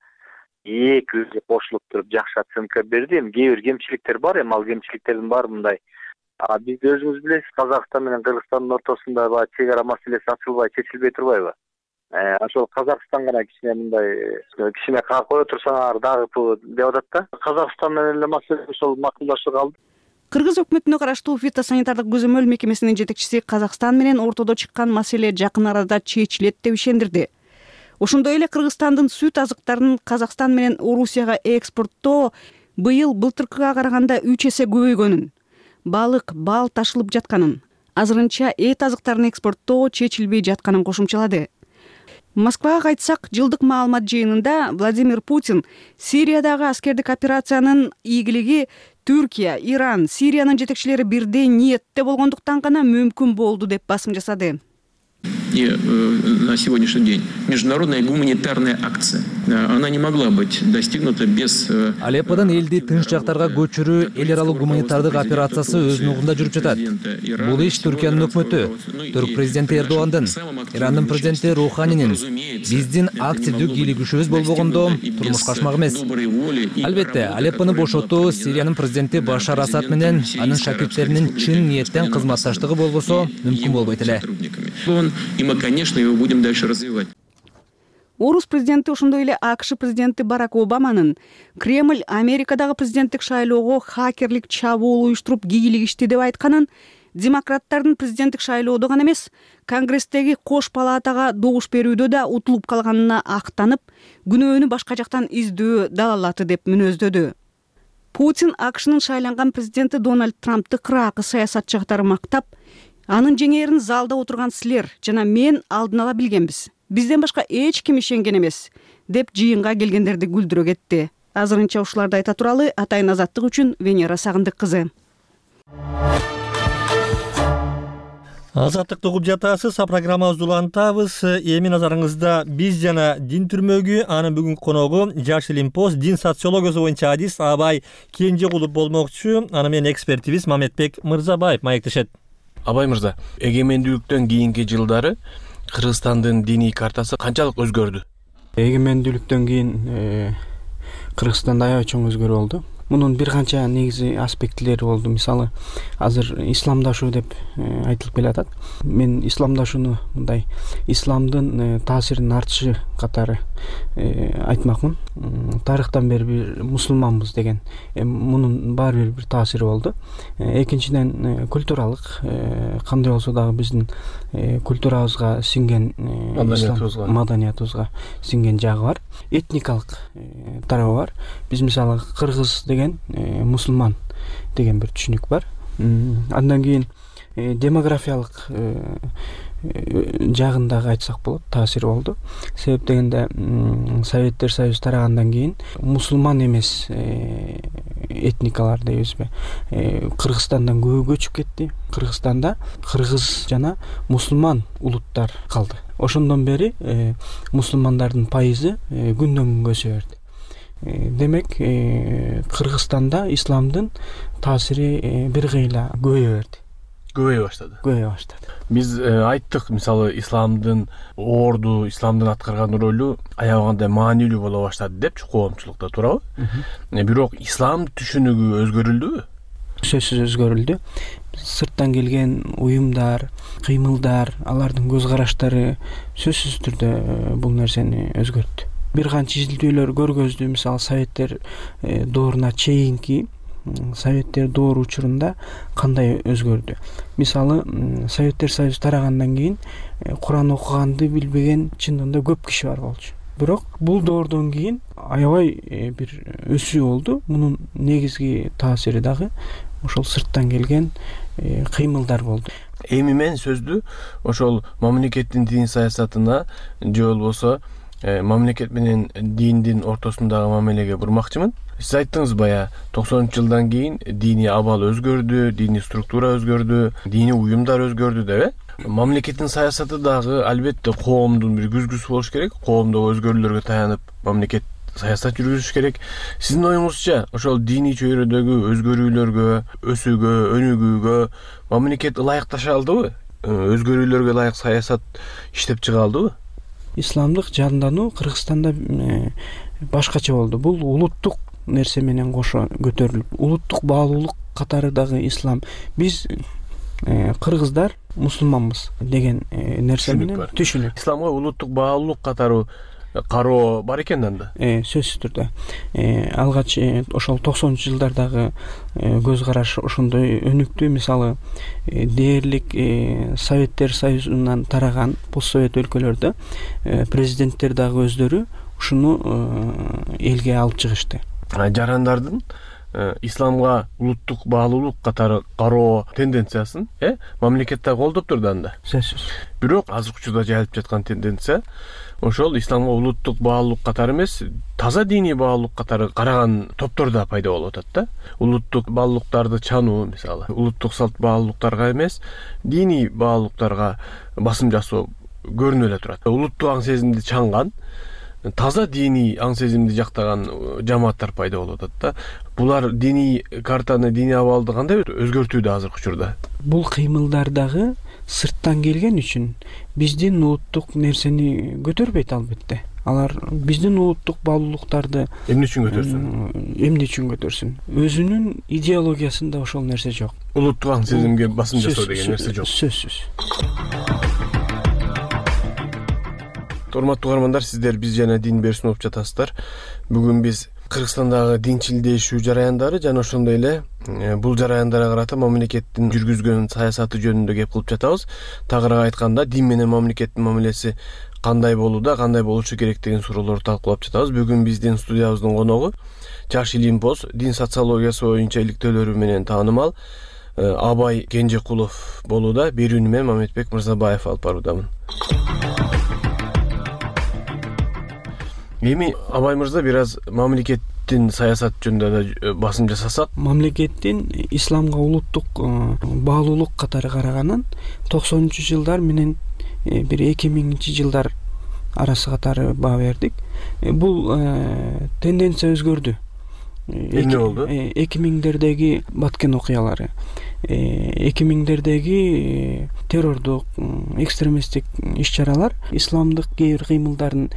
эки өзү кошулуп туруп жакшы оценка берди. Эми кээ бир кемчиликтер бар, эми ал кемчиликтердин баары мындай. А биз өзүңүз билесиз, Казакстан менен Кыргызстандын ортосунда баягы чек ара маселеси ачылбай, чечилбей турбайбы? Ошол Казакстан гана кичине мындай кичине кое турсаңар дагы деп атат да. Казакстан менен эле маселе ошол макулдашып калды. Кыргыз өкмөтүнө караштуу фитосанитардык көзөмөл мекемесинин жетекчиси Казакстан менен ортодо чыккан маселе жакын арада чечилет деп ишендирди. Ошондой эле Кыргызстандын сүт азыктарын Казакстан менен Орусияга экспорттоо быйыл былтыркыга караганда үч эсе көбөйгөнүн, балык, бал ташылып жатканын, азырынча эт азыктарын экспорттоо чечилбей жатканын кошумчалады. Москвага кайтсак, жылдык маалымат жыйынында Владимир Путин Сириядагы аскердик операциянын ийгилиги Түркия, Иран, Сириянын жетекчилери бирдей ниетте болгондуктан гана мүмкүн болду деп басым жасады. И э, на сегодняшний день международная гуманитарная акция, она не могла быть достигнута без... Э, Алепподон элди тынч жактарга көчүрүү эл аралык гуманитардык операциясы өз нугунда жүрүп жатат. Бул иш Түркиянын өкмөтү, Түрк президенти Эрдогандын, Ирандын президенти Руханинин, биздин активдүү кийлигишүүбүз болбогондо турмушка ашмак эмес. Албетте, Алеппону бошотуу Сириянын президенти Башар Асад менен анын шакирттеринин чын ниеттен кызматташтыгы болбосо мүмкүн болбойт эле. И мы, конечно, его будем дальше развивать. Орус президенти, ошондой эле АКШ президенти Барак Обаманын Кремль Америкадагы президенттик шайлоого хакерлик чабуул уюштуруп кийлигишти деп айтканын, демократтардын президенттик шайлоодо гана эмес, Конгресстеги кош палатага добуш берүүдө да утулуп калганына актанып, күнөөнү башка жактан издөө далалаты деп мүнөздөдү. Путин АКШнын шайланган президенти Дональд Трампты кыраакы саясатчы катары мактап, анын жеңээрин залда отурган силер жана мен алдын ала билгенбиз. Бизден башка эч ким ишенген эмес, деп жыйынга келгендерди күлдүрө кетти. Азырынча ушуларды айта туралы Атайын Азаттык үчүн Венера Сагындык кызы. Азаттыкты угуп жатасыз, а программабызды улантабыз. Эми назарыңызда биз жана дин түрмөгү, анын бүгүнкү коногу Жаш Илим Пост дин социологиясы боюнча адис Абай Кенжекулов болмокчу. Аны менен экспертибиз Мамедбек Мырзабаев маектешет. Абай мырза, эгемендүүлүктөн кийинки жылдары Кыргызстандын диний картасы канчалык өзгөрдү? Эгемендүүлүктөн кийин Кыргызстанда аябай чоң өзгөрүү болду. Мунун бир канча негизи аспектилери болду. Мисалы, азыр исламдашуу деп айтылып келатат. Мен исламдашууну мындай исламдын таасиринин артышы катары айтмакмын. Тарыхтан бери бир мусулманбыз деген мунун баары бир бир таасири болду. Экинчиден, культуралык кандай болсо дагы биздин культурабызга сиңген, маданиятыбызга сиңген жагы бар. Этникалык тарабы бар. Биз мисалы кыргыз деген мусулман деген бир түшүнүк бар. Андан кийин демографиялык жагындагы айтсак болот, таасири болду. Себеп дегенде Советтер Союзу тарагандан кийин мусулман эмес этникалар дейбизби, Кыргызстандан көбү көчүп кетти. Кыргызстанда кыргыз жана мусулман улуттар калды. Ошондон бери мусулмандардын пайызы күндөн күнгө өсө берди. Демек, Кыргызстанда исламдын таасири бир кыйла көбөйө берди. Көбөйө баштады. Көбөйө баштады. Биз айттык, мисалы, исламдын орду, исламдын аткарган ролу аябагандай маанилүү боло баштады депчи коомчулукта, туурабы? Бирок ислам түшүнүгү өзгөрүлдүбү? Сөзсүз өзгөрүлдү. Сырттан келген уюмдар, кыймылдар, алардын көз караштары сөзсүз түрдө бул нерсени өзгөрттү. Бир канча изилдөөлөр көргөздү. Мисалы, Советтер дооруна чейинки Советтер доору учурунда кандай өзгөрдү. Мисалы, Советтер Союзу тарагандан кийин Куран окуганды билбеген чындыгында көп киши бар болчу. бирок бул доордон кийин аябай бир өсүү болду. Мунун негизги таасири дагы ошол сырттан келген кыймылдар болду. Эми мен сөздү ошол мамлекеттин дин саясатына же болбосо мамлекет менен диндин ортосундагы мамилеге бурмакчымын. Сиз айттыңыз бая токсонунчу жылдан кийин диний абал өзгөрдү, диний структура өзгөрдү, диний уюмдар өзгөрдү деп э? Мамлекеттин саясаты дагы албетте коомдун бир күзгүсү болуш керек. Коомдогу өзгөрүүлөргө таянып мамлекет саясат жүргүзүш керек. Сиздин оюңузча ошол диний чөйрөдөгү өзгөрүүлөргө, өсүүгө, өнүгүүгө мамлекет ылайыкташа алдыбы? Өзгөрүүлөргө ылайык саясат иштеп чыга алдыбы? Исламдык жандануу Кыргызстанда башкача болду. Бул улуттук нерсе менен кошо көтөрүлүп, улуттук баалуулук катары дагы ислам. Биз кыргыздар мусулманбыз деген нерсе менен түшүнүк. Исламга улуттук баалуулук катары кароо бар экен анда. Э, сөзсүз түрдө. Э, алгач ошол токсонунчу жылдардагы көз караш ошондой өнүктү. Мисалы, дээрлик Советтер Союзунан тараган постсовет өлкөлөрдө президенттер дагы өздөрү ушуну элге алып чыгышты. Жарандардын исламга улуттук баалуулук катары кароо тенденциясын э мамлекетте колдоп турду анда. Сөзсүз. Бирок азыркы учурда жайылып жаткан тенденция ошол исламга улуттук баалуулук катары эмес, таза диний баалуулук катары караган топтор да пайда болуп атат да. Улуттук баалуулуктарды чануу, мисалы, улуттук салт баалуулуктарга эмес, диний баалуулуктарга басым жасоо көрүнүп эле турат. Улуттук аң сезимди чанган, таза диний аң сезимди жактаган жамааттар пайда болуп атат да. Булар диний картаны, диний абалды кандай өзгөртүүдө азыркы учурда? Бул кыймылдар дагы сырттан келген үчүн биздин улуттук нерсени көтөрбөйт албетте. Алар биздин улуттук баалуулуктарды эмне үчүн көтөрсүн? Эмне үчүн көтөрсүн? Өзүнүн идеологиясында ошол нерсе жок. Улуттук аң сезимге басым жасоо деген нерсе жок. Сөзсүз. Урматтуу угармандар, сиздер биз жана Дин берүүсүн угуп жатасыздар. Бүгүн биз Кыргызстандагы динчилдешүү жараяндары жана ошондой эле бул жараяндарга карата мамлекеттин жүргүзгөн саясаты жөнүндө кеп кылып жатабыз. Тагыраак айтканда, дин менен мамлекеттин мамилеси кандай болууда, кандай болушу керек деген суроолорду талкуулап жатабыз. Бүгүн биздин студиябыздын коногу Жаш илимпоз, дин социологиясы боюнча иликтөөлөрү менен таанымал Абай Кенжекулов болууда. Берүүнү мен Мамедбек Мырзабаев алып баруудамын. Эми Абай мырза бир аз мамлекеттин саясат жөнүндө да басым жасасак. Мамлекеттин исламга улуттук баалуулук катары караганын токсонунчу жылдар менен бир эки миңинчи жылдар арасы катары баа бердик. Бул тенденция өзгөрдү. Эмне болду? эки миңдердеги Баткен окуялары, эки миңдердеги террордук, экстремисттик иш-чаралар, исламдык кээ бир кыймылдардын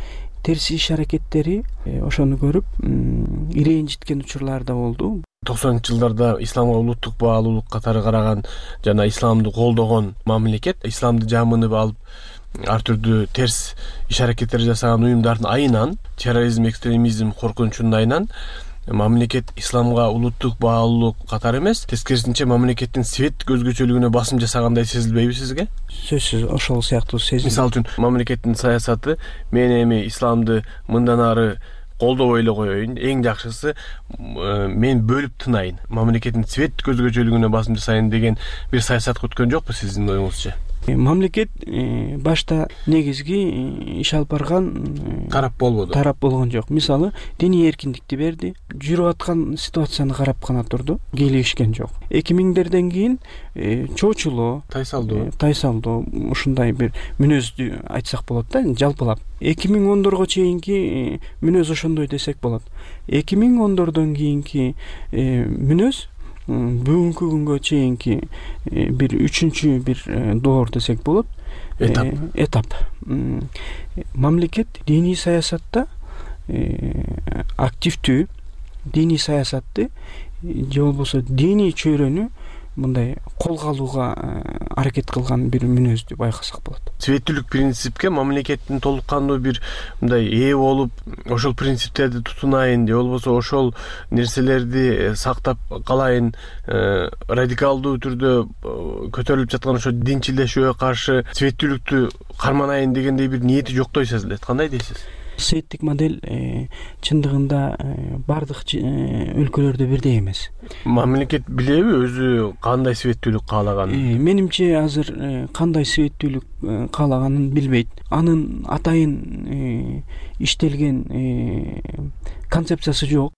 терс иш аракеттери ошону көрүп ирэнжиткен учурлар да болду. токсонунчу жылдарда исламга улуттук баалуулук катары караган жана исламды колдогон мамлекет, исламды жамынып алып ар түрдүү терс иш аракеттер жасаган уюмдардын айынан, терроризм, экстремизм коркунучунун айынан мамлекет исламга улуттук баалуулук катары эмес, тескерисинче мамлекеттин свет өзгөчөлүгүнө басым жасагандай сезилбейби сизге? Сөзсүз ошол сыяктуу сезим. Мисалы үчүн мамлекеттин саясаты мен эми исламды мындан ары колдобой эле коеюн, эң жакшысы мен бөлүп тынайын, мамлекеттин свет өзгөчөлүгүнө басым жасайын деген бир саясат күткөн жокпу сиздин оюңузча? Мамлекет башта негизги иш алып барган тарап болбоду. Тарап болгон жок. Мисалы, диний эркиндикти берди, жүрүп аткан ситуацияны карап гана турду, келишкен жок. эки миңдерден кийин чоочулоо, тайсалдоо, тайсалдоо ушундай бир мүнөздү айтсак болот да, жалпылап. эки миң ондорго чейинки мүнөз ошондой десек болот. эки миң ондордон кийинки мүнөз бүгүнкү күнгө чейинки бир үчүнчү бир доор десек болот. Этап. Этап. Мамлекет диний саясатта активдүү, диний саясатты же болбосо диний чөйрөнү мындай колго алууга аракет кылган бир мүнөздү байкасак болот. Светтүүлүк принципке мамлекеттин толук кандуу бир мындай ээ болуп, ошол принциптерди тутунайын, же болбосо ошол нерселерди сактап калайын, радикалдуу түрдө көтөрүлүп жаткан ошо динчилдешүүгө каршы светтүүлүктү карманайын дегендей бир ниети жоктой сезилет. Кандай дейсиз? светтик модель чындыгында бардык өлкөлөрдө бирдей эмес. Мамлекет билеби өзү кандай светтүүлүк каалаганын? Менимче азыр кандай светтүүлүк каалаганын билбейт. Анын атайын иштелген концепциясы жок.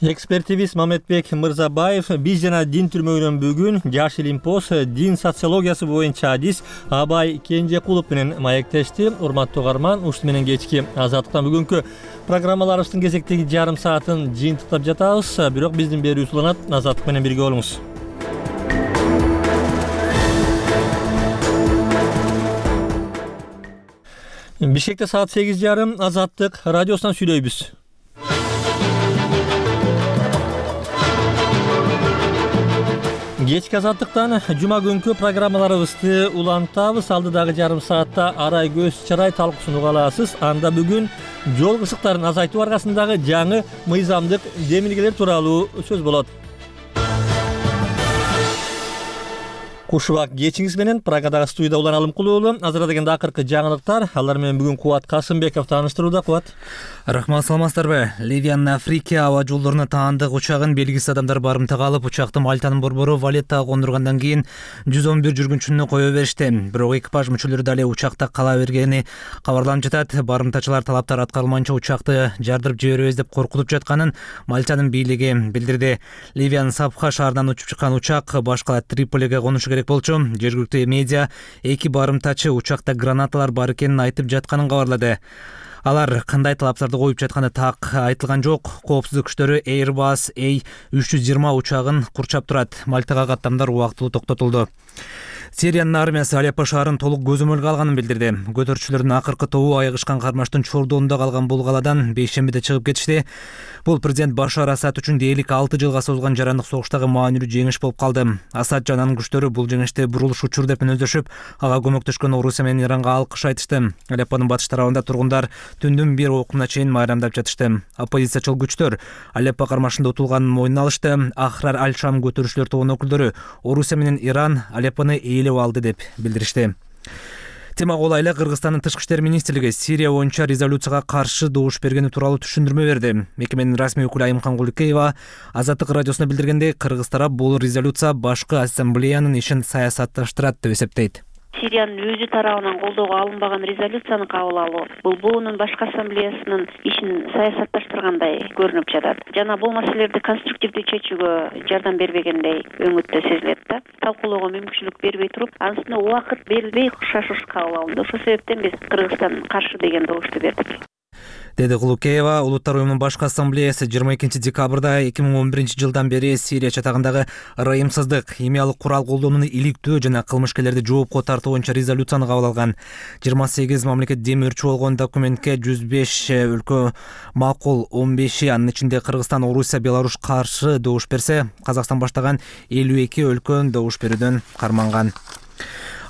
Экспертибиз Мамедбек Мырзабаев биз жана дин түрмөгүнөн бүгүн Жаш Илимпоз дин социологиясы боюнча адис Абай Кенжекулов менен маектешти. Урматтуу угарман, ушуну менен кечки Азаттыктан бүгүнкү программаларыбыздын кезектеги жарым саатын жыйынтыктап жатабыз. Бирок биздин берүүбүз уланат. Азаттык менен бирге болуңуз. Бишкекте саат сегиз жарым Азаттык радиосунан сүйлөйбүз. Кечки Азаттыктан жума күнкү программаларыбызды улантабыз. Алдыдагы жарым саатта арай көз чарай талкуусун уга аласыз. Анда бүгүн жол кырсыктарын азайтуу аркасындагы жаңы мыйзамдык демилгелер тууралуу сөз болот. Кушубак кечиңиз менен Прагадагы студияда Улан Алымкулуу. Азыр дегенде акыркы жаңылыктар. Алар менен бүгүн Кубат Касымбеков тааныштырууда. Кубат. Рахмат, саламатсыздарбы? Ливиянын Африка аба жолдоруна таандык учагын белгисиз адамдар барымтага алып, учакты Мальтанын борбору Валеттага кондургандан кийин жүз он бир жүргүнчүнү кое беришти. Бирок экипаж мүчөлөрү дали учакта кала бергени кабарланып жатат. Барымтачылар талаптар аткарылмайынча учакты жардырып жиберебиз деп коркутуп жатканын Мальтанын бийлиги билдирди. Ливиянын Сапха шаарынан учуп чыккан учак башка Триполиге конушу керек болчу. Жергиликтүү медиа эки барымтачы учакта гранаталар бар экенин айтып жатканын кабарлады. Алар кандай талаптарды коюп жатканы так айтылган жок. Коопсуздук күчтөрү Airbus A үч жүз жыйырма учагын курчап турат. Мальтага каттамдар убактылуу токтотулду. Сириянын армиясы Алеппо шаарын толук көзөмөлгө алганын билдирди. Көтөрүүчүлөрдүн акыркы тобу айыгышкан кармаштын чордоонунда калган бул каладан бейшембиде чыгып кетишти. Бул президент Башар Асад үчүн дээрлик алты жылга созулган жарандык согуштагы маанилүү жеңиш болуп калды. Асад жана анын күчтөрү бул жеңишти бурулуш учур деп мүнөздөшүп, ага көмөктөшкөн Орусия менен Иранга алкыш айтышты. Алеппонун батыш тарабында тургундар түндүн бир окуна чейин майрамдап жатышты. Оппозициячыл күчтөр Алеппо кармашында утулганын мойнуна алышты. Ахрар Аль-Шам көтөрүүчүлөр тобунун өкүлдөрү Орусия менен Иран Алеппону ээлеп алды деп билдиришти. Темага улайлы Кыргызстандын тышкы иштер министрлиги Сирия боюнча резолюцияга каршы добуш бергени тууралуу түшүндүрмө берди. Мекеменин расмий өкүлү Айымкан Куликеева Азаттык радиосуна билдиргендей, Кыргыз тарап бул резолюция башкы ассамблеянын ишин саясатташтырат деп эсептейт. Сириянын өзү тарабынан колдоого алынбаган резолюцияны кабыл алуу бул буунун башкы ассамблеясынын ишин саясатташтыргандай көрүнүп жатат жана бул маселелерди конструктивдүү чечүүгө жардам бербегендей өңүттө сезилет да. Талкуулоого мүмкүнчүлүк бербей туруп, анын үстүнө убакыт берилбей шашыш кабыл алынды. Ошол себептен биз Кыргызстан каршы деген добушту бердик. Деди Кулукеева. Улуттар уюмунун башкы ассамблеясы жыйырма экинчи декабрда эки миң он биринчи жылдан бери Сирия чатагындагы ырайымсыздык, химиялык курал колдонууну иликтөө жана кылмышкерлерди жоопко тартуу боюнча резолюцияны кабыл алган. жыйырма сегиз мамлекет демөөрчү болгон документке жүз беш өлкө макул, он беши анын ичинде Кыргызстан, Орусия, Беларусь каршы добуш берсе, Казакстан баштаган элүү эки өлкө добуш берүүдөн карманган.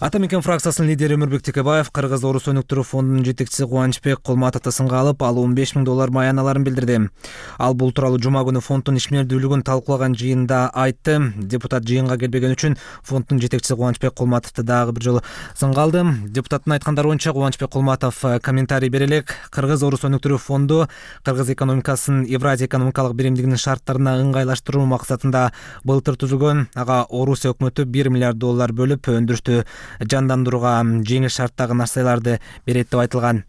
Ата мекен фракциясынын лидери Өмүрбек Текебаев Кыргыз-Орус өнүктүрүү фондунун жетекчиси Кубанычбек Кулматовду сынга алып, ал он беш миң доллар маяналарын билдирди. Ал бул тууралуу жума күнү фонддун ишмердүүлүгүн талкуулаган жыйында айтты. Депутат жыйынга келбеген үчүн фонддун жетекчиси Кубанычбек Кулматовду дагы бир жолу сынга алды. Депутаттын айткандары боюнча Кубанычбек Кулматов комментарий бере элек, Кыргыз-Орус өнүктүрүү фонду Кыргыз экономикасын Евразия экономикалык биримдигинин шарттарына ыңгайлаштыруу максатында былтыр түзүлгөн. Ага Орусия өкмөтү бир миллиард доллар бөлүп өндүрүштү жандандырууга жеңил шарттагы нарселерди берет деп айтылган.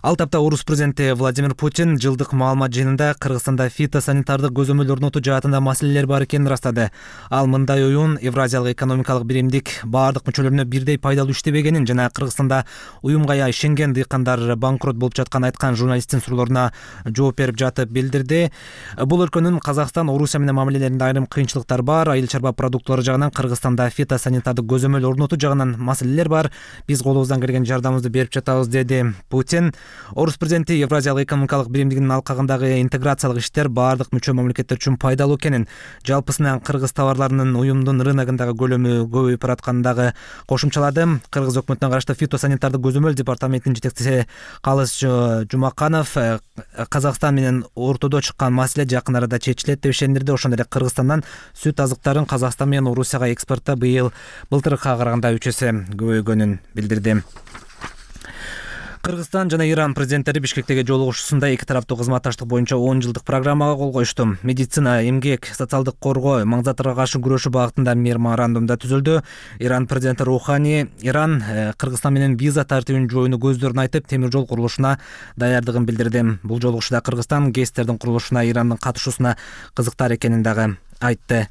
Ал тапта Орус президенти Владимир Путин жылдык маалымат жыйынында Кыргызстанда фитосанитардык көзөмөл орнотуу жаатында маселелер бар экенин ырастады. Ал мындай оюн Евразиялык экономикалык биримдик баардык мүчөлөрүнө бирдей пайдалуу иштебегенин жана Кыргызстанда уюмга ишенген дыйкандар банкрот болуп жатканын айткан журналисттин суроолоруна жооп берип жатып билдирди. Бул өлкөнүн Казакстан, Орусия менен мамилелеринде айрым кыйынчылыктар бар. Айыл чарба продукттары жагынан Кыргызстанда фитосанитардык көзөмөл орнотуу жагынан маселелер бар. Биз колубуздан келген жардамыбызды берип жатабыз, деди Путин. Орус президенти Евразиялык экономикалык биримдигинин алкагындагы интеграциялык иштер баардык мүчө мамлекеттер үчүн пайдалуу экенин, жалпысынан кыргыз товарларынын уюмдун рыногундагы көлөмү көбөйүп баратканын дагы кошумчалады. Кыргыз өкмөтүнө караштуу фитосанитардык көзөмөл департаментинин жетекчиси Калыс Жумаканов Казакстан менен ортодо чыккан маселе жакын арада чечилет деп ишендирди. Ошондой эле Кыргызстандан сүт азыктарын Казакстан менен Орусияга экспортто быйыл былтыркыга караганда үч эсе көбөйгөнүн билдирди. Кыргызстан жана Иран президенттери Бишкектеги жолугушуусунда эки тараптуу кызматташтык боюнча он жылдык программага кол коюшту. Медицина, эмгек, социалдык коргоо, маңзаттарга каршы күрөшүү багытында меморандумда түзүлдү. Иран президенти Рухани Иран Кыргызстан менен виза тартибин жойууну көздөрүн айтып, темир жол курулушуна даярдыгын билдирди. Бул жолугушууда Кыргызстан ГЭСтердин курулушуна Ирандын катышуусуна кызыктар экенин дагы айтты.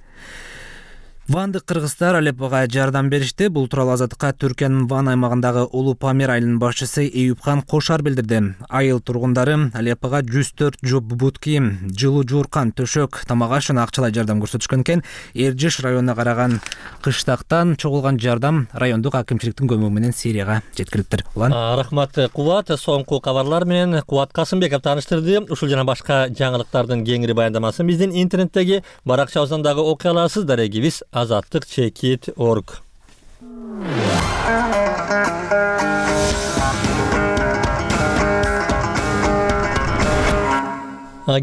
Вандык кыргыздар Алеппого жардам беришти. Бул тууралуу Азаттыкка Түркиянын Ван аймагындагы Улуу Памир айылынын башчысы Эюпкан Кошар билдирди. Айыл тургундары Алеппого жүз төрт жоп бут кийим, жылуу жууркан, төшөк, тамак аш жана акчалай жардам көрсөтүшкөн экен. Эржиш районуна караган кыштактан чогулган жардам райондук акимчиликтин көмөгү менен Сирияга жеткирилиптир. Улан. Рахмат Кубат, соңку кабарлар менен Кубат Касымбеков тааныштырды. Ушул жана башка жаңылыктардын кеңири баяндамасын биздин интернеттеги баракчабыздан дагы окуй аласыздар. Эгибиз азаттык чекит точка орг.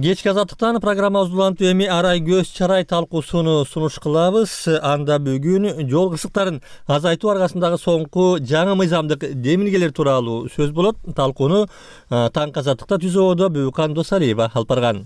Кечки азаттыктан программабыз улантып эми арай көз чарай талкуусуну сунуш кылабыз. Анда бүгүн жол кырсыктарын азайтуу аркасындагы соңку жаңы мыйзамдык демилгелер тууралуу сөз болот. Талкууну Таңк азаттыкта түзүүдө Бүкан Досалиева алып барган.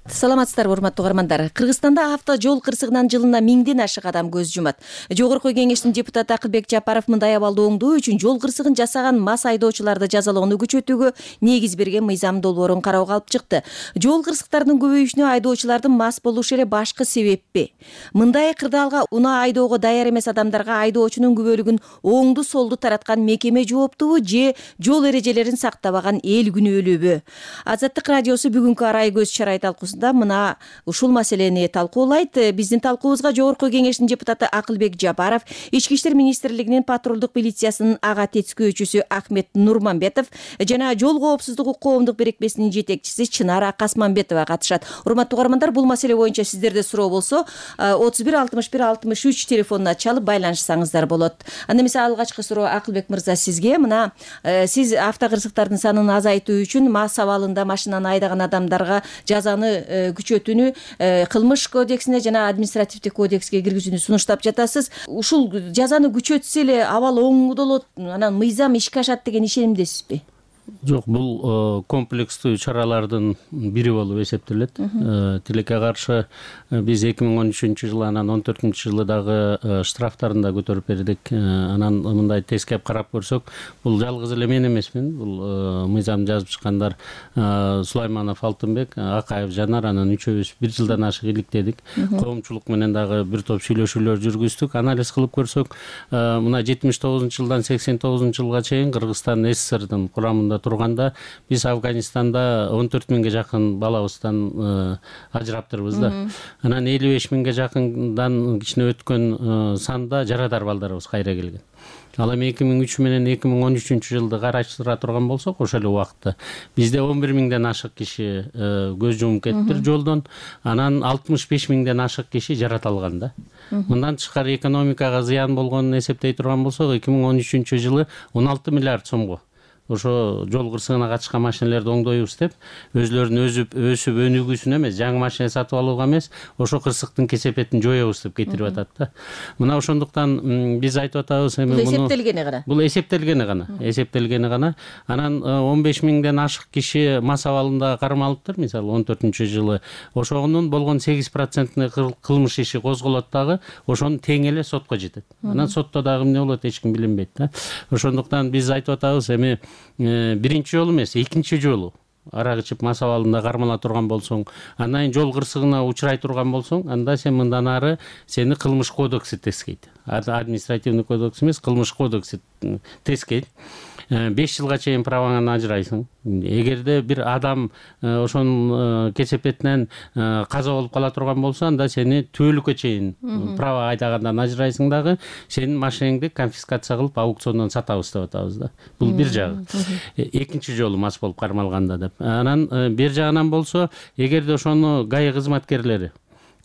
Саламатсыздарбы, урматтуу угармандар. Кыргызстанда авто жол кырсыгынан жылына миңден ашык адам көз жумат. Жогорку кеңештин депутаты Акылбек Жапаров мындай абалды оңдоо үчүн жол кырсыгын жасаган мас айдоочуларды жазалоону күчөтүүгө негиз берген мыйзам долбоорун кароого алып чыкты. Жол кырсыктарынын көбөйүшүнө айдоочулардын мас болушу эле башкы себеппи? Мындай кырдаалга унаа айдоого даяр эмес адамдарга айдоочунун күбөлүгүн оңду солду тараткан мекеме жооптубу же жол эрежелерин сактабаган эл күнөөлүүбү? Азаттык радиосу бүгүнкү арай көз чарай талкуусунда мына ушул маселени талкуулайт. Биздин талкуубузга Жогорку кеңештин депутаты Акылбек Жапаров, Ички иштер министрлигинин патрулдук милициясынын ага тескөөчүсү Ахмет Нурманбетов жана жол коопсуздугу коомдук берекмесинин жетекчиси Чынара Касманбетова катышат. Урматтуу угармандар, бул маселе боюнча сиздерде суроо болсо отуз бир алтымыш бир алтымыш үч телефонуна чалып байланышсаңыздар болот. Анда эмесе алгачкы суроо Акылбек мырза сизге. Мына сиз автокырсыктардын санын азайтуу үчүн мас абалында машинаны айдаган адамдарга жазаны күчөтүүнү кылмыш кодексине жана административдик кодекске киргизүүнү сунуштап жатасыз. Ушул жазаны күчөтсө эле абал оңдолот, анан мыйзам ишке ашат деген ишенимдесизби? Жок, бул комплекстүү чаралардын бири болуп эсептелет. Тилекке каршы биз эки миң он үчүнчү жылы, анан он төртүнчү жылы дагы штрафтарын да көтөрүп бердик. Анан мындай тескеп карап көрсөк, бул жалгыз эле мен эмесмин. Бул мыйзам жазып чыккандар Сулайманов Алтынбек, Акаев Жанар, анан үчөөбүз бир жылдан ашык иликтедик. Коомчулук менен дагы бир топ сүйлөшүүлөр жүргүздүк. Анализ кылып көрсөк, мына жетимиш тогузунчу жылдан сексен тогузунчу жылга чейин Кыргызстан СССРдин курамында турганда биз Афганистанда он төрт миңге жакын балабыздан ажыраптырбыз да. Анан элүү беш миңге жакындан кичине өткөн санда жарадар балдарыбыз кайра келген. Ал эми эки миң үч менен эки миң он үчүнчү жылды караштыра турган болсок, ошол эле убакытта бизде он бир миңден ашык киши көз жумуп кетиптир жолдон, анан алтымыш беш миңден ашык киши жаратылган да. Мындан тышкары экономикага зыян болгонун эсептей турган болсок, эки миң он үчүнчү жылы он алты миллиард сомго ошо жол кырсыгына катышкан машиналерди оңдоюбуз деп, өзүлөрүнүн өзүп өсүп өнүгүүсүнө эмес, жаңы машина сатып алууга эмес, ошо кырсыктын кесепетин жоёбуз деп кетирип атат да. Мына ошондуктан биз айтып атабыз, эми бул эсептелгени гана. Бул эсептелгени гана, эсептелгени гана. Анан он беш миңден ашык киши мас абалында кармалыптыр, мисалы он төртүнчү жылы. Ошонун болгон сегиз процентине кылмыш иши козголот дагы, ошонун тең эле сотко жетет. Анан сотто дагы эмне болот, эч ким билинбейт да. Ошондуктан биз айтып атабыз, эми биринчи жолу эмес, экинчи жолу арак ичип мас абалында кармала турган болсоң, андан жол кырсыгына учурай турган болсоң, анда сен мындан ары сени кылмыш кодекси тескейт. Административный кодекс эмес, кылмыш кодекси тескейт. беш жылга чейин праваңан ажырайсың. Эгерде бир адам ошонун кесепетинен каза болуп кала турган болсо, анда сени түбөлүккө чейин права айдагандан ажырайсың дагы, сенин машинеңди конфискация кылып аукциондон сатабыз деп атабыз да. Бул бир жагы. Экинчи жолу мас болуп кармалганда деп. Анан бир жагынан болсо, эгерде ошону ГАИ кызматкерлери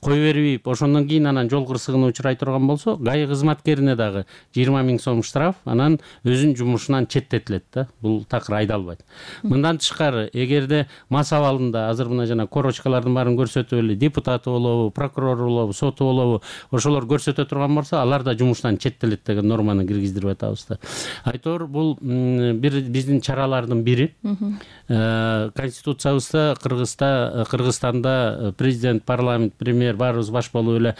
кое бербейт, ошондон кийин анан жол кырсыгына учурай турган болсо, ГАИ кызматкерине дагы жыйырма миң сом штраф, анан өзүнүн жумушунан четтетилет да. Бул такыр айдалбайт. Мындан тышкары, эгерде мас абалында азыр мына жана корочкалардын баарын көрсөтүп эле депутаты болобу, прокурор болобу, соту болобу, ошолор көрсөтө турган болсо, алар да жумуштан четтелет деген норманы киргиздирип атабыз да. Айтор бул бир биздин чаралардын бири. Конституциябызда Кыргызста Кыргызстанда президент, парламент, премьер баарыбыз баш болуп эле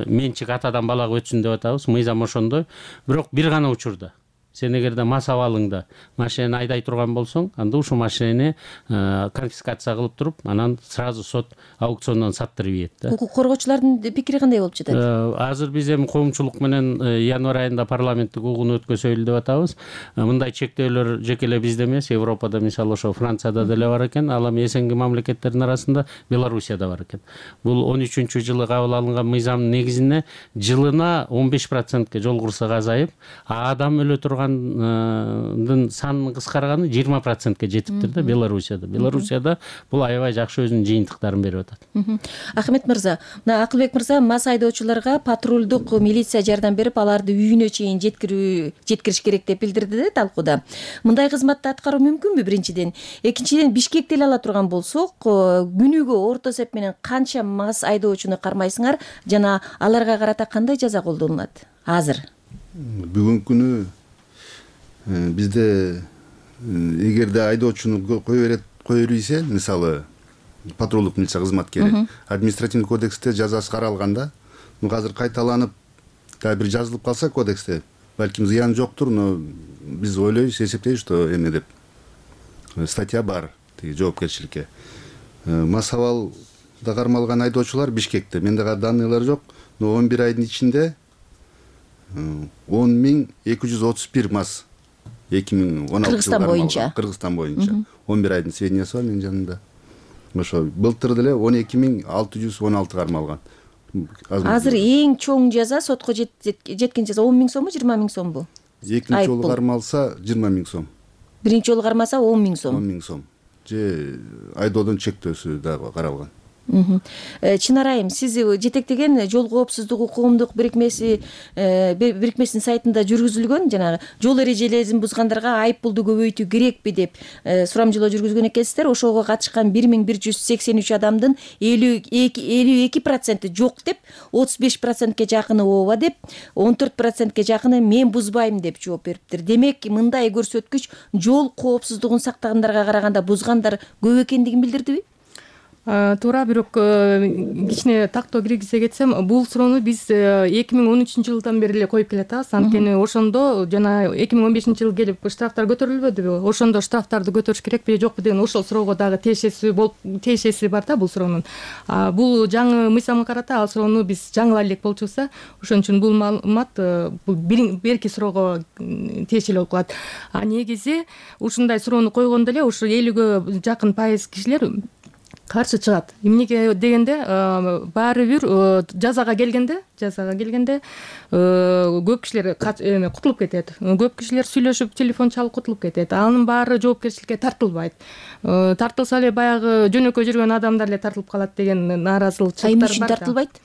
менчик атадан балага өтсүн деп атабыз. Мыйзам ошондой. Бирок бир гана учурда сен эгерде мас абалыңда машинени айдай турган болсоң, анда ушул машинени конфискация кылып туруп, анан сразу сот аукциондон саттырып ийет да. Укук коргоочулардын пикири кандай болуп жатат? Азыр биз эми коомчулук менен январь айында парламенттик угууну өткөзөлү деп атабыз. Мындай чектөөлөр жеке эле бизде эмес, Европада, мисалы ошо Францияда деле бар экен, ал эми эсенги мамлекеттердин арасында Белоруссияда бар экен. Бул он үчүнчү жылы кабыл алынган мыйзамдын негизинде жылына он беш процентке жол кырсыгы азайып, адам өлө турган санын кыскарганы жыйырма процентке жетиптир да Белоруссияда. Белоруссияда бул аябай жакшы өзүнүн жыйынтыктарын берип атат. Ахмет мырза, мына Акылбек мырза мас айдоочуларга патрулдук милиция жардам берип, аларды үйүнө чейин жеткирүү жеткириш керек деп билдирди да талкууда. Мындай кызматты аткаруу мүмкүнбү биринчиден? Экинчиден, Бишкекти эле ала турган болсок, күнүгө орто эсеп менен канча мас айдоочуну кармайсыңар жана аларга карата кандай жаза колдонулат азыр? Бүгүнкү күнү бизде эгерде айдоочуну кое берет кое бербесе, мисалы патрулдук милиция кызматкери административдик кодексте жазасы каралганда, ну азыр кайталанып дагы бир жазылып калса кодексте, балким зыяны жоктур, но биз ойлойбуз, эсептейбиз, что эме деп статья бар тиги жоопкерчиликке. Мас абалда кармалган айдоочулар Бишкекте, менде данныйлар жок, но он бир айдын ичинде он миң эки жүз отуз бир мас эки миң он алтынчы Кыргызстан боюнча. Кыргызстан боюнча. он бир айдын сведениясы бар менин жанымда. Ошо былтыр деле он эки миң алты жүз он алты кармалган. Азыр эң чоң жаза сотко жеткен жаза он миң сомбу, жыйырма миң сомбу? Экинчи жолу кармалса жыйырма миң сом. Биринчи жолу кармаса он миң сом. он миң сом. Же айдоодон чектөөсү дагы каралган. Чынар айым, сиз жетектеген жол коопсуздугу коомдук бирикмеси бирикмесинин сайтында жүргүзүлгөн жанагы жол эрежелерин бузгандарга айып пулду көбөйтүү керекпи деп сурамжылоо жүргүзгөн экенсиздер. Ошого катышкан бир миң бир жүз сексен үч адамдын элүү эки проценти жок деп, отуз беш процентке жакыны ооба деп, он төрт процентке жакыны мен бузбайм деп жооп бериптир. Демек, мындай көрсөткүч жол коопсуздугун сактагандарга караганда бузгандар көп экендигин билдирдиби? Туура, бирок кичине тактоо киргизе кетсем, бул суроону биз эки миң он үчүнчү жылдан бери эле коюп келатабыз. Анткени ошондо жана эки миң он бешинчи жылы келип штрафтар көтөрүлбөдүбү? Ошондо штрафтарды көтөрүш керекпи, жокпу деген ошол суроого дагы тиешеси болуп тиешеси бар да бул суроонун. Бул жаңы мыйзамга карата ал суроону биз жаңылай элек болчубуз. Ошон үчүн бул маалымат бул берки суроого тиешелүү болуп калат. А негизи ушундай суроону койгондо эле ушу элүүгө жакын пайыз кишилер каршы чыгат. Эмнеге дегенде, баары бир жазага келгенде, жазага келгенде көп кишилер кутулуп кетет. Көп кишилер сүйлөшүп, телефон чалып кутулуп кетет. Анын баары жоопкерчиликке тартылбайт. Тартылса эле баягы жөнөкөй жүргөн адамдар эле тартылып калат деген нааразычылыктар бар. Эмне үчүн тартылбайт?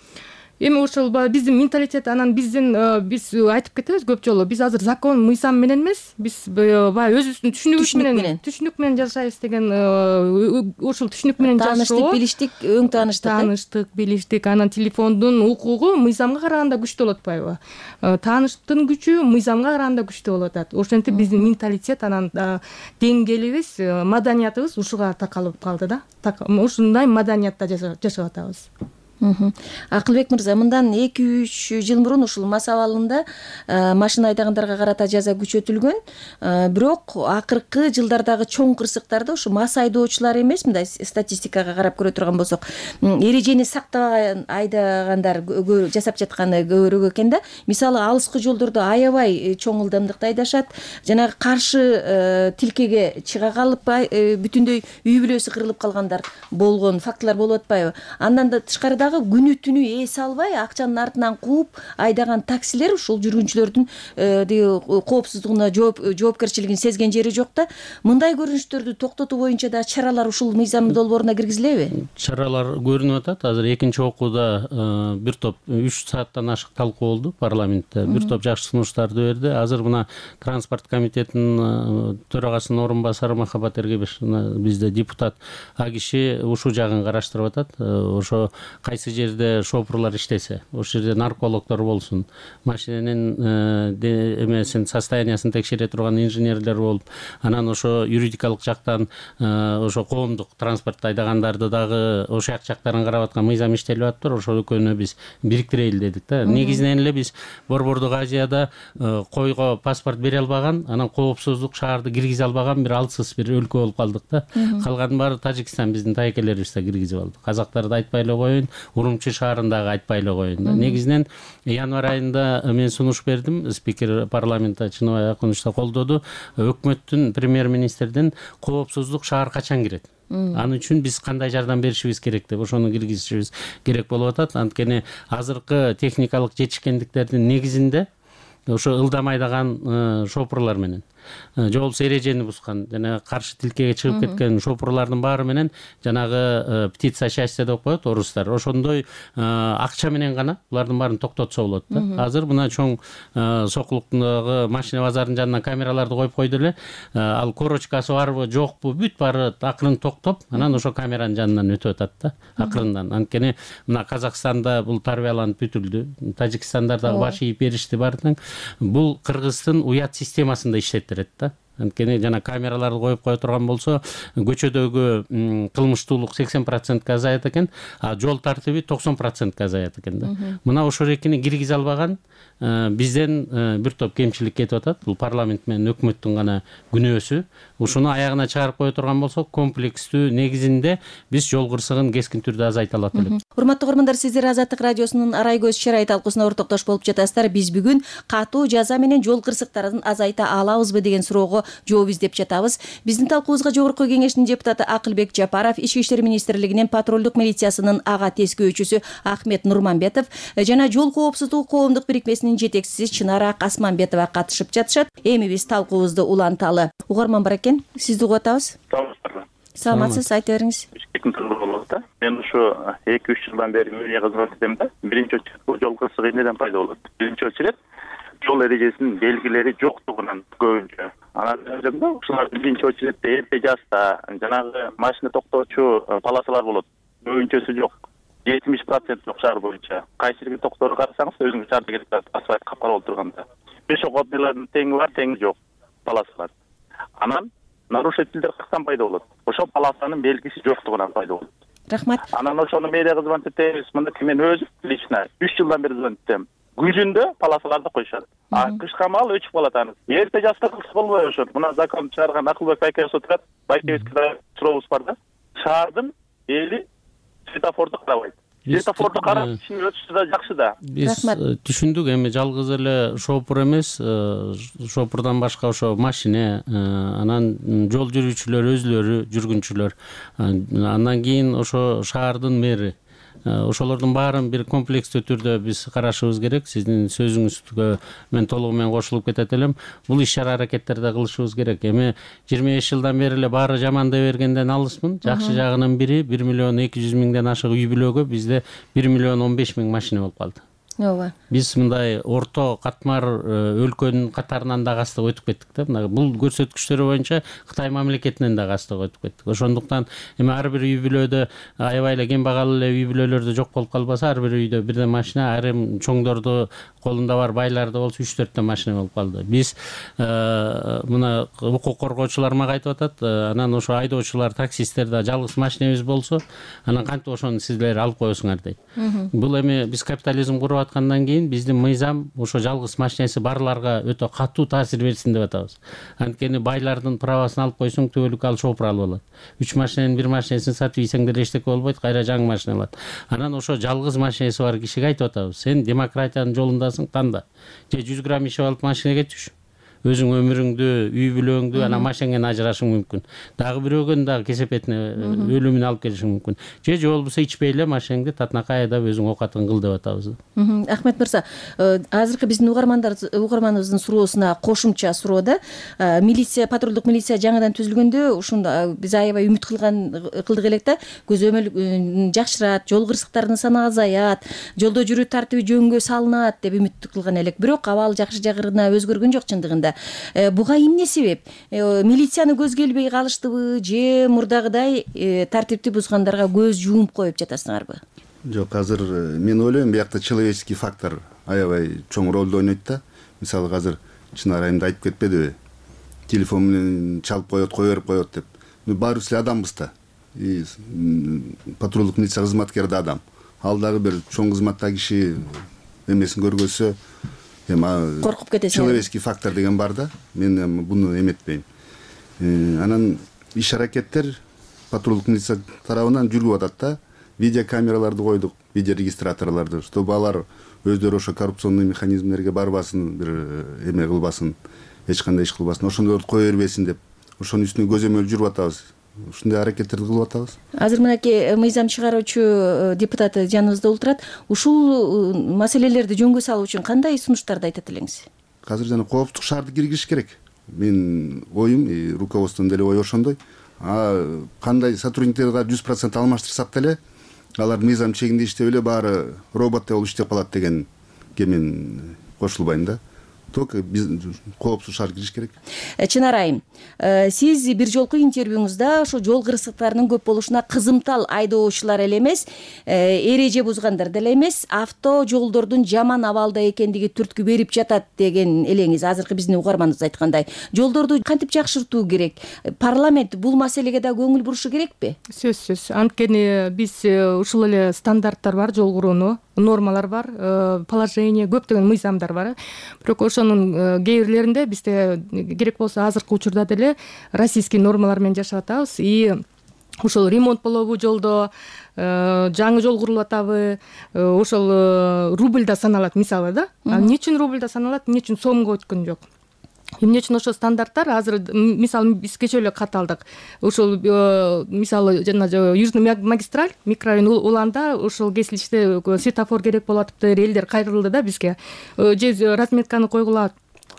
Эми ошол биздин менталитет, анан биздин биз айтып кетебиз көп жолу. Биз азыр закон, мыйзам менен эмес, биз баягы өзүбүздүн түшүнүгүбүз менен, түшүнүк менен жашайбыз деген ошол түшүнүк менен жашоо. Тааныштык, билиштик, өң тааныштык. Тааныштык, билиштик, анан телефондун укугу мыйзамга караганда күчтүү болуп атпайбы? Тааныштыктын күчү мыйзамга караганда күчтүү болуп атат. Ошентип биздин менталитет, анан деңгээлибиз, маданиятыбыз ушуга такалып калды да. Ушундай маданиятта жашап атабыз. Акылбек мырза, мындан эки үч жыл мурун ушул мас абалында машина айдагандарга карата жаза күчөтүлгөн. Бирок акыркы жылдардагы чоң кырсыктарда ушу мас айдоочулар эмес, мындай статистикага карап көрө турган болсок, эрежени сактабай айдагандар жасап жатканы көбүрөөк экен да. Мисалы, алыскы жолдордо аябай чоң ылдамдыкта айдашат, жанагы каршы тилкеге чыга калып бүтүндөй үй бүлөсү кырылып калгандар болгон фактылар болуп атпайбы? Андан да тышкарыда дагы күнү түнү эс албай акчанын артынан кууп айдаган таксилер ушул жүргүнчүлөрдүн коопсуздугуна жоопкерчилигин сезген жери жок да. Мындай көрүнүштөрдү токтотуу боюнча да чаралар ушул мыйзам долбооруна киргизилеби? Чаралар көрүнүп атат. Азыр экинчи окууда бир топ үч сааттан ашык талкуу болду парламентте. Бир топ жакшы сунуштарды берди. Азыр мына транспорт комитетинин төрагасынын орун басары Махабат Эргебеш бизде депутат, а киши ушул жагын караштырып атат. Ошо кайсы жерде шопурлар иштесе, ошол жерде наркологдор болсун, машиненин эмесин состояниясын текшере турган инженерлер болуп, анан ошо юридикалык жактан ошо коомдук транспортто айдагандарды дагы ошол жактарын карап аткан мыйзам иштелип атыптыр. Ошол экөөнү биз бириктирели дедик да. Негизинен эле биз Борбордук Азияда койго паспорт бере албаган, анан коопсуздук шаарды киргизе албаган бир алсыз бир өлкө болуп калдык да. Калган баары Тажикстан биздин тайкелерибизде киргизип алды. Казактарды айтпай эле коеюн, Урумчи шаарындагы айтпай эле коеюн да. Негизинен январь айында мен сунуш бердим, спикер парламентте Чыныбай Акунович да колдоду. Өкмөттүн премьер-министрдин коопсуздук шаар качан кирет? Анын үчүн биз кандай жардам беришибиз керек деп ошону киргизишибиз керек болуп атат. Анткени азыркы техникалык жетишкендиктердин негизинде ошо ылдам айдаган шопурлар менен же болбосо эрежени бузган жана каршы тилкеге чыгып кеткен шопурлардын баары менен жанагы птица счастья деп коет орустар, ошондой акча менен гана булардын баарын токтотсо болот да. Азыр мына чоң Сокулуктагы машина базарынын жанына камераларды коюп койду эле, ал корочкасы барбы жокпу бүт баары акырын токтоп, анан ошо камеранын жанынан өтүп атат да акырындан. Анткени мына Казакстанда бул тарбияланып бүтүлдү, Тажикстанда дагы баш ийип беришти баардык. Бул Кыргыздын уят системасында иштеттирет да. Анткени жана камераларды коюп кое турган болсо көчөдөгү кылмыштуулук сексен процентке азаят экен, а жол тартиби токсон процентке азаят экен да. Мына ошол экини киргизе албаган бизден бир топ кемчилик кетип атат. Бул парламент менен өкмөттүн гана күнөөсү. Ушуну аягына чыгарып кое турган болсок, комплекстүү негизинде биз жол кырсыгын кескин түрдө азайта алат элек. Урматтуу көрөрмандар, сиздер Азаттык радиосунун Арай көз чырай талкуусуна ортоктош болуп жатасыздар. Биз бүгүн катуу жаза менен жол кырсыктарын азайта алабызбы деген суроого жооп издеп жатабыз. Биздин талкуубузга Жогорку Кеңештин депутаты Акылбек Жапаров, Ички иштер министрлигинин патрулдук милициясынын ага тескөөчүсү Ахмет Нурманбетов жана жол коопсуздугу коомдук бирикмесинин жетекчиси Чынара Касманбетова катышып жатышат. Эми биз талкуубузду уланталы. Угарман бар экен, сизди угуп атабыз. Саламатсыз, айта бериңиз. Мен ушу эки үч жылдан бери мэрия кызмат этем да. Биринчи очередь жол кырсыгы эмнеден пайда болот? Биринчи очередь жол эрежесинин белгилери жоктугунан көбүнчө. Анан да ушулар биринчи очередте эрте жаста жанагы машина токтоочу полосалар болот. Көбүнчөсү жок. жетимиш процент жок шаар боюнча. Кайсы бир токторду карасаңыз өзүңүз шаарда кетип атат, асфальт капкара болуп турганда. Пешеходныйлардын теңи бар, теңи жок полосалар. Анан нарушительдер каяктан пайда болот? Ошол полосанын белгиси жоктугунан пайда болот. Рахмат. Анан ошону мэрия кызмат этебиз. Мында мен өзүм лично үч жылдан бери кызмат этем. Күзүндө полосаларды коюшат. А кышка маал өчүп калат аны. Эрте жаста кылса болбой ошот. Мына закон чыгарган Акылбек байкебиз отурат. Байкебизге сурообуз бар да. Шаардын эли светофорду карабайт. Светофорду карап ишин өтүшү да жакшы да. Биз түшүндүк, эми жалгыз эле шопур эмес, шопурдан башка ошо машина, анан жол жүрүүчүлөр өзүлөрү, жүргүнчүлөр, андан кийин ошо шаардын мэри, ошолордун баарын бир комплекстүү түрдө биз карашыбыз керек. Сиздин сөзүңүзгө мен толугу менен кошулуп кетет элем. Бул иш-чара аракеттерди кылышыбыз керек. Эми жыйырма беш жылдан бери эле баары жаман дей бергенден алысмын. Жакшы жагынын бири бир миллион эки жүз миңден ашык үй бүлөгө бизде бир миллион он беш миң машина болуп калды. Ооба. Биз мындай орто катмар өлкөнүн катарынан дагы астыга өтүп кеттик да. Мына бул көрсөткүчтөр боюнча Кытай мамлекетинен дагы астыга өтүп кеттик. Ошондуктан эми ар бир үй бүлөдө аябай эле кембагал эле үй бүлөлөрдө жок болуп калбаса, ар бир үйдө бирден машина, айрым чоңдорду колунда бар байларда болсо үч төрттөн машина болуп калды. Биз мына укук коргоочулар мага айтып атат, анан ошо айдоочулар, таксисттер да жалгыз машинебиз болсо, анан кантип ошону сиздер алып коесуңар дейт. Бул эми биз капитализм куруп аткандан кийин биздин мыйзам ошо жалгыз машинеси барларга өтө катуу таасир берсин деп атабыз. Анткени байлардын правасын алып койсоң түбөлүк ал шопур алып алат. Үч машиненин бир машинесин сатып ийсеңдер эчтеке болбойт, кайра жаңы машина алат. Анан ошо жалгыз машинеси бар кишиге айтып атабыз: сен демократиянын жолундасың, танда. Же жүз грамм ишип алып машинеге түш. өзүң өмүрүңдү, үй бүлөңдү анан машинеңен ажырашың мүмкүн. Дагы бирөөгөн дагы кесепетине өлүмүнө алып келишиң мүмкүн. Же же болбосо ичпей эле машинеңди татынакай айдап өзүң оокатыңды кыл деп атабыз. Ахмет мырза, азыркы биздин угармандар угарманыбыздын суроосуна кошумча суроо да. Милиция, патрулдук милиция жаңыдан түзүлгөндө ушунда биз аябай үмүт кылган кылдык элек да. Көзөмөл жакшырат, жол кырсыктарынын саны азаят, жолдо жүрүү тартиби жөнгө салынат деп үмүт кылган элек. Бирок абал жакшы жагырына өзгөргөн жок чындыгында. Буга эмне себеп? Милицияны көзгө илбей калыштыбы же мурдагыдай тартипти бузгандарга көз жумуп коюп жатасыңарбы? Жок, азыр мен ойлойм биякта человеческий фактор аябай чоң ролду ойнойт да. Мисалы азыр Чынар айымда айтып кетпедиби? Телефон менен чалып коет, кое берип коет деп. Баарыбыз эле адамбыз да. И патрулдук милиция кызматкери да адам. Ал дагы бир чоң кызматта киши эмесин көргөзсө, эми коркуп кетесиң. Человеческий фактор деген бар да. Мен буну эметпейм. Анан иш аракеттер патрулдук милиция тарабынан жүрүп атат да. Видеокамераларды койдук, видеорегистраторлорду, чтобы алар өздөрү ошо коррупционный механизмдерге барбасын, бир эме кылбасын, эч кандай иш кылбасын, ошондорду кое бербесин деп, ошонун үстүнө көзөмөл жүрүп атабыз. Ушундай аракеттерди кылып атабыз. Азыр мынакей мыйзам чыгаруучу депутат жаныбызда отурат. Ушул маселелерди жөнгө салуу үчүн кандай сунуштарды айтат элеңиз? Азыр жана коопсуздук шаарды киргизиш керек. Мен оюм, руководствонун деле ою ошондой. А кандай сотрудниктерди жүз процент алмаштырсак деле, алар мыйзам чегинде иштеп эле баары роботтор болуп иштеп калат дегенге мен кошулбайм да. Только биз коопсуз шаар кириш керек. Чынар айым, сиз бир жолку интервьюңузда ошо жол кырсыктарынын көп болушуна кызымтал айдоочулар эле эмес, эреже бузгандар деле эмес, авто жолдордун жаман абалда экендиги түрткү берип жатат деген элеңиз. Азыркы биздин угарманыбыз айткандай, жолдорду кантип жакшыртуу керек? Парламент бул маселеге да көңүл бурушу керекпи? Сөзсүз. Анткени биз ушул эле стандарттар бар, жол курууну нормалар бар, положение, көптөгөн мыйзамдар бар. Бирок ошонун кээ бирлеринде бизде керек болсо азыркы учурда деле российский нормалар менен жашап атабыз. И ошол ремонт болобу жолдо, жаңы жол курулуп атабы, ошол рубльда саналат мисалы да. Эмне үчүн рубльда саналат, эмне үчүн сомго өткөн жок? Эмне үчүн ошо стандарттар азыр мисалы биз кечээ эле кат алдык. Ошол мисалы жана Южный магистраль микрорайон уланда ошол кесилиште светофор керек болуп атыптыр, элдер кайрылды да бизге. Же разметканы койгула,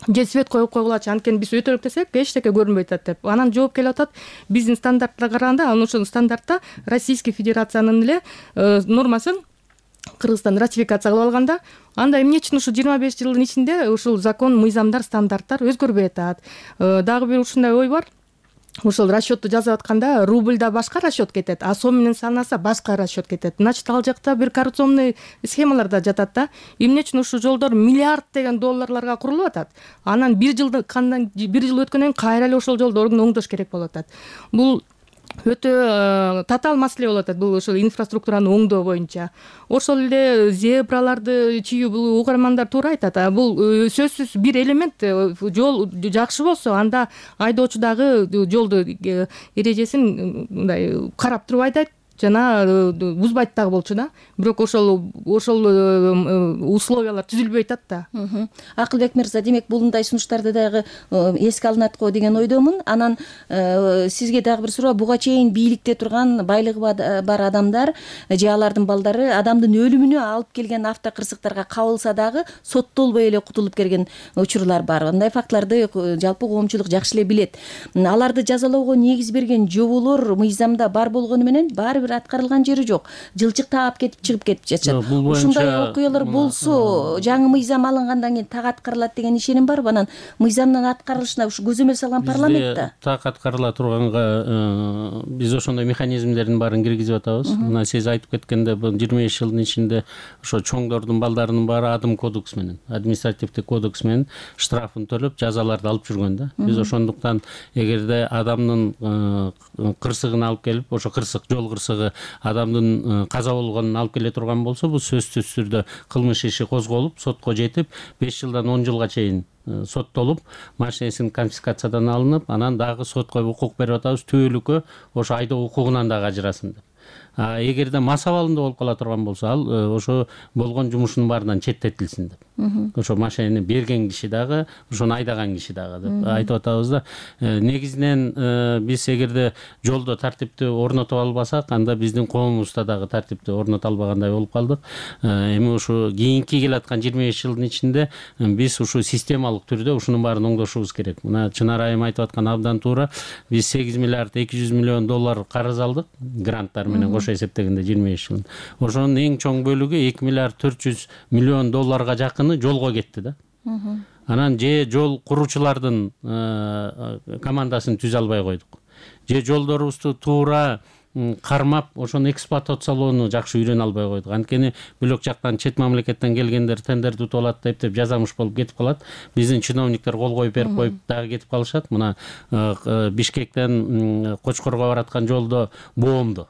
же свет коюп койгулачы, анткени биз өтөлүк десек эчтеке көрүнбөй атат деп. Анан жооп келип атат, биздин стандарттарга караганда, анан ошол стандартта Российский Федерациянын эле нормасын Кыргызстан ратификация кылып алганда, анда эмне үчүн ушу жыйырма беш жылдын ичинде ушул закон, мыйзамдар, стандарттар өзгөрбөй атат? Дагы бир ушундай ой бар. Ошол расчетту жазып атканда рубльда башка расчет кетет, а сом менен санаса башка расчет кетет. Значит, ал жакта бир коррупционный схемалар да жатат да. Эмне үчүн ушул жолдор миллиард деген долларларга курулуп атат? Анан бир жылдан кандан бир жыл өткөндөн кийин кайра эле ошол жолдорду оңдош керек болуп атат. Бул өтө татаал маселе болуп атат, бул ошол инфраструктураны оңдоо боюнча. Ошол эле зебраларды чийүү, бул угармандар туура айтат. Бул сөзсүз бир элемент. Жол жакшы болсо, анда айдоочу дагы жолду эрежесин мындай карап туруп айдайт, жана бузбайт дагы болчу да. Бирок ошол ошол условиялар түзүлбөй атат да. Акылбек мырза, демек булундай сунуштарды дагы эске алынат го деген ойдомун. Анан сизге дагы бир суроо, буга чейин бийликте турган, байлыгы бар адамдар же алардын балдары адамдын өлүмүнө алып келген автокырсыктарга кабылса дагы соттолбой эле кутулуп келген учурлар бар. Андай фактларды жалпы коомчулук жакшы эле билет. Аларды жазалоого негиз берген жоболор мыйзамда бар болгону менен баары бир аткарылган жери жок. Жылчык таап кетип чыгып кетип жатат. Ушундай окуялар болсо, жаңы мыйзам алынгандан кийин так аткарылат деген ишеним барбы? Анан мыйзамдын аткарылышына ушу көзөмөл салган парламентте так аткарыла турганга биз ошондой механизмдердин баарын киргизип атабыз. Мына сиз айтып кеткенде, бул жыйырма беш жылдын ичинде ошо чоңдордун балдарынын баары адым кодекс менен, административдик кодекс менен штрафын төлөп, жазаларды алып жүргөн да. Биз ошондуктан эгерде адамдын кырсыгын алып келип, ошо кырсык, жол кырсыгы адамдын каза болгонун алып келе турган болсо, бул сөзсүз түрдө кылмыш иши козголуп, сотко жетип, беш жылдан он жылга чейин соттолуп, машинесин конфискациядан алынып, анан дагы сотко укук берип атабыз, түбөлүккө ошо айдоо укугунан дагы ажырасын деп. А эгерде мас абалында болуп кала турган болсо ал ошо болгон жумушунун баарынан четтетилсин деп. Ошо машинени берген киши дагы, ошону айдаган киши дагы деп айтып атабыз да. Негизинен биз эгерде жолдо тартипти орнотуп албасак, анда биздин коомубузда дагы тартипти орното албагандай болуп калдык. Эми ушу кийинки келаткан жыйырма беш жылдын ичинде биз ушу системалык түрдө ушунун баарын оңдошубуз керек. Мына Чынар айым айтып аткан абдан туура. Биз сегиз миллиард эки жүз миллион доллар карыз алдык гранттар менен кошо эсептегенде жыйырма беш жылын. Ошонун эң чоң бөлүгү эки миллиард төрт жүз миллион долларга жакыны жолго кетти да. Анан же жол куруучулардын командасын түзө албай койдук. Же жолдорубузду туура кармап, ошону эксплуатациялоону жакшы үйрөнө албай койдук. Анткени бөлөк жактан чет мамлекеттен келгендер тендерди утуп алат деп деп жазамыш болуп кетип калат. Биздин чиновниктер кол коюп берип коюп дагы кетип калышат. Мына Бишкектен Кочкорго бараткан жолдо боомду.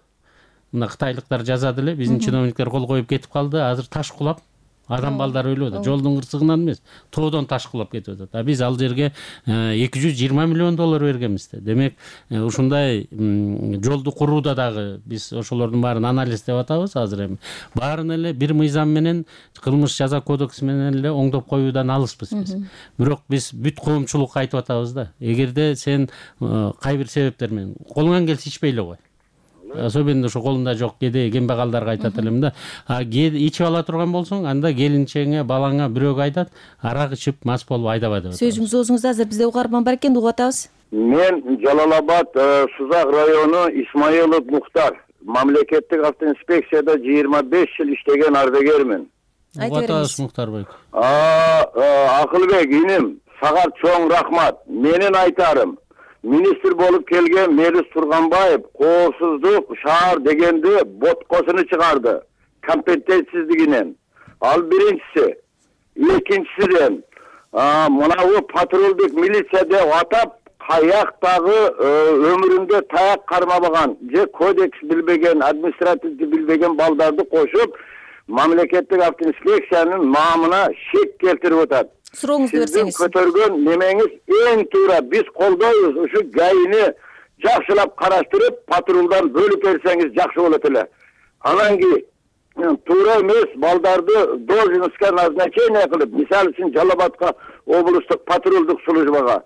Мына кытайлыктар жазады эле, биздин чиновниктер кол коюп кетип калды. Азыр таш кулап адам балдар өлүп атат. Жолдун кырсыгынан эмес, тоодон таш кулап кетип атат. А биз ал жерге эки жүз жыйырма миллион доллар бергенбиз да. Демек, ушундай жолду курууда дагы биз ошолордун баарын анализдеп атабыз азыр эми. Баарын эле бир мыйзам менен, кылмыш жаза кодекси менен эле оңдоп коюудан алыспыз биз. Бирок биз бүт коомчулукка айтып атабыз да. Эгерде сен кай бир себептер менен колуңан келсе ичпей эле кой. Особенно ошо колунда жок кедей кембагалдарга айтат элем да. А ичип ала турган болсоң, анда келинчеңе, балаңа бирөөгө айтат, арак ичип мас болуп айдабай деп. Сөзүңүз оозуңузда, азыр бизде угарман бар экен, угуп атабыз. Мен Жалал-Абад Сузак району Исмаилов Мухтар. Мамлекеттик автоинспекцияда жыйырма беш жыл иштеген ардагермин. Угуп атабыз Мухтарбек. Акылбек иним, сага чоң рахмат. Менин айтарым, министр болуп келген Мелис Турганбаев коопсуздук шаар дегенде боткосуну чыгарды компетенцисиздигинен. Ал биринчиси. Экинчисиден мынабу патрулдук милиция деп атап каяктагы өмүрүндө таяк кармабаган же кодекс билбеген, административди билбеген балдарды кошуп мамлекеттик автоинспекциянын наамына шек келтирип атат. Сурооңузду берсеңиз. Сиздин көтөргөн немеңиз эң туура. Биз колдойбуз. Ушу гайни жакшылап караштырып, патрулдан бөлүп берсеңиз жакшы болот эле. Анан кийин туура эмес балдарды должностька назначение кылып, мисалы үчүн Жалал-Абадка облустук патрулдук службага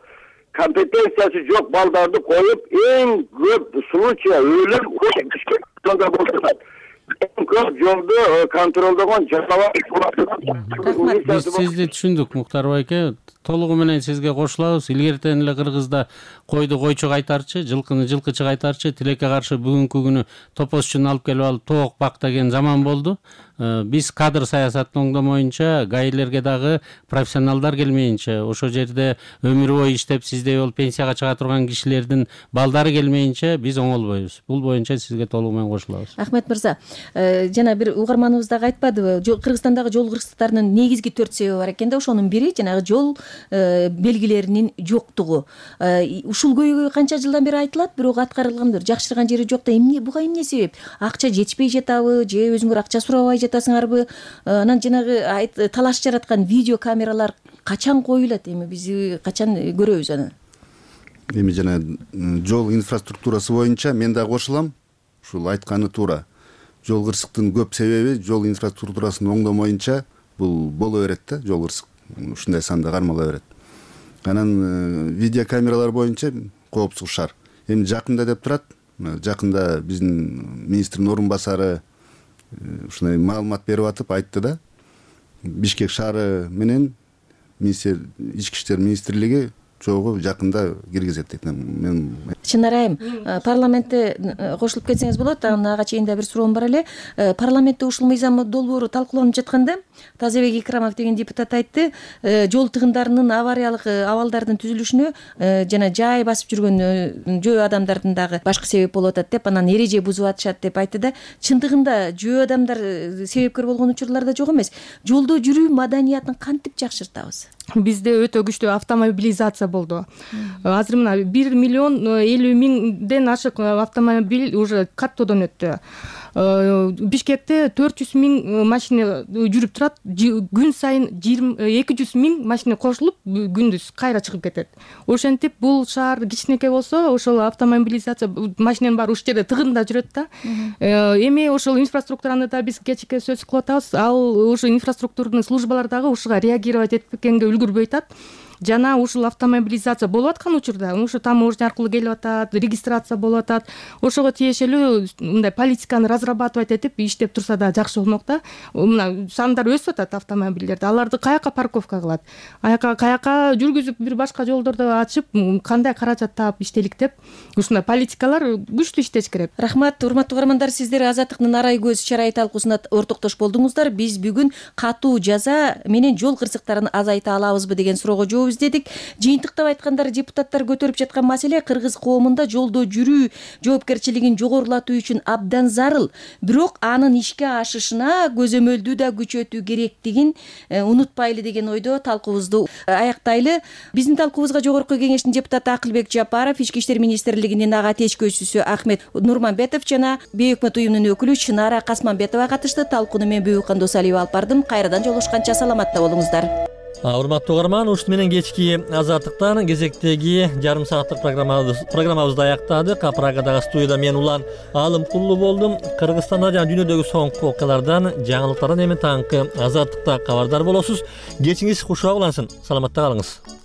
компетенциясы жок балдарды коюп, эң көп случай өлүм Бишкекте болот. Көп жолду контролдогон Биз сизди түшүндүк, Мухтар байке. Толугу менен сизге кошулабыз. Илгертен эле Кыргызда койду койчу кайтарчы, жылкыны жылкычы кайтарчы, тилекке каршы бүгүнкү күнү топозчуну алып келип алып тоок бак деген заман болду. Биз кадр саясатын оңдомоюнча, гаилерге дагы профессионалдар келмейинче, ошо жерде өмүр бою иштеп сиздей болуп пенсияга чыга турган кишилердин балдары келмейинче биз оңолбойбуз. Бул боюнча сизге толугу менен кошулабыз. Ахмет мырза, жана бир угарманыбыз дагы айтпадыбы, Кыргызстандагы жол кырсыктарынын негизги төрт себеби бар экен да, ошонун бири жанагы жол белгилеринин жоктугу. Ушул көйгөй канча жылдан бери айтылат, бирок аткарылган жакшырган жери жок да. Эмне буга эмне себеп? Акча жетишпей жатабы же өзүңөр акча сурабай жатасыңарбы? Анан жанагы талаш жараткан видео камералар качан коюлат? Эми биз качан көрөбүз аны? Эми жана жол инфраструктурасы боюнча мен да кошулам. Ушул айтканы туура. Жол кырсыктын көп себеби жол инфраструктурасын оңдомоюнча бул боло берет да, жол кырсык ушундай санда кармала берет. Анан видео камералар боюнча коопсуз шаар. Эми жакында деп турат. Жакында биздин министрдин орун басары ушундай маалымат берип атып айтты да. Бишкек шаары менен министр ички иштер министрлиги чогуу жакында киргизет дейт. Мен Чынар айым, парламентте кошулуп кетсеңиз болот. Ага чейин да бир суроом бар эле. Парламентте ушул мыйзам долбоору талкууланып жатканда Тазабек Икрамов деген депутат айтты, жол тыгындарынын авариялык абалдардын түзүлүшүнө жана жай басып жүргөн жөө адамдардын дагы башкы себеп болуп атат деп, анан эреже бузуп атышат деп айтты да. Чындыгында жөө адамдар себепкер болгон учурлар да жок эмес. Жолдо жүрүү маданиятын кантип жакшыртабыз? Бизде өтө күчтүү автомобилизация болду. Азыр мына бир миллион элүү миңден ашык автомобиль уже каттоодон өттү. Бишкекте төрт жүз миң машина жүрүп турат, күн сайын эки жүз миң машина кошулуп күндүз кайра чыгып кетет. Ошентип бул шаар кичинекей болсо ошол автомобилизация машинанын баары ушул жерде тыгында жүрөт да. Эми ошол инфраструктураны да биз кечке сөз кылып атабыз. Ал ушу инфраструктурный службалар дагы ушуга реагировать этпегенге үлгүрбөй атат. Жана ушул автомобилизация болуп аткан учурда ушу таможня аркылуу келип атат, регистрация болуп атат. Ошого тиешелүү мындай политиканы разрабатывать этип иштеп турса да жакшы болмок да. Мына сандар өсүп атат автомобилдерди. Аларды каяка парковка кылат? Аяка каяка жүргүзүп бир башка жолдорду ачып, кандай каражат таап иштелик деп ушундай политикалар күчтүү иштеш керек. Рахмат, урматтуу угармандар, сиздер Азаттыктын арай көз чарай талкуусуна ортоктош болдуңуздар. Биз бүгүн катуу жаза менен жол кырсыктарын азайта алабызбы деген суроого жооп издедик. Жыйынтыктап айтканда, депутаттар көтөрүп жаткан маселе кыргыз коомунда жолдо жүрүү жоопкерчилигин жогорулатуу үчүн абдан зарыл. Бирок анын ишке ашышына көзөмөлдүү да күчөтүү керектигин унутпайлы деген ойдо талкуубузду аяктайлы. Биздин талкуубузга Жогорку Кеңештин депутаты Акылбек Жапаров, Ички иштер министрлигинин ага течкөөчүсү Ахмет Нурманбетов жана бейөкмөт уюмунун өкүлү Чынара Касманбетова катышты. Талкууну мен Бүйүккан Досалиева алып бардым. Кайрадан жолугушканча саламатта болуңуздар. Урматтуу угарман, ушуну менен кечки Азаттыктан кезектеги жарым сааттык программабызды аяктадык. Прагадагы студияда мен Улан Алымкулуу болдум. Кыргызстанда жана дүйнөдөгү соңку окуялардан, жаңылыктардан эми таңкы Азаттыкта кабардар болосуз. Кечиңиз кушак улансын. Саламатта калыңыз.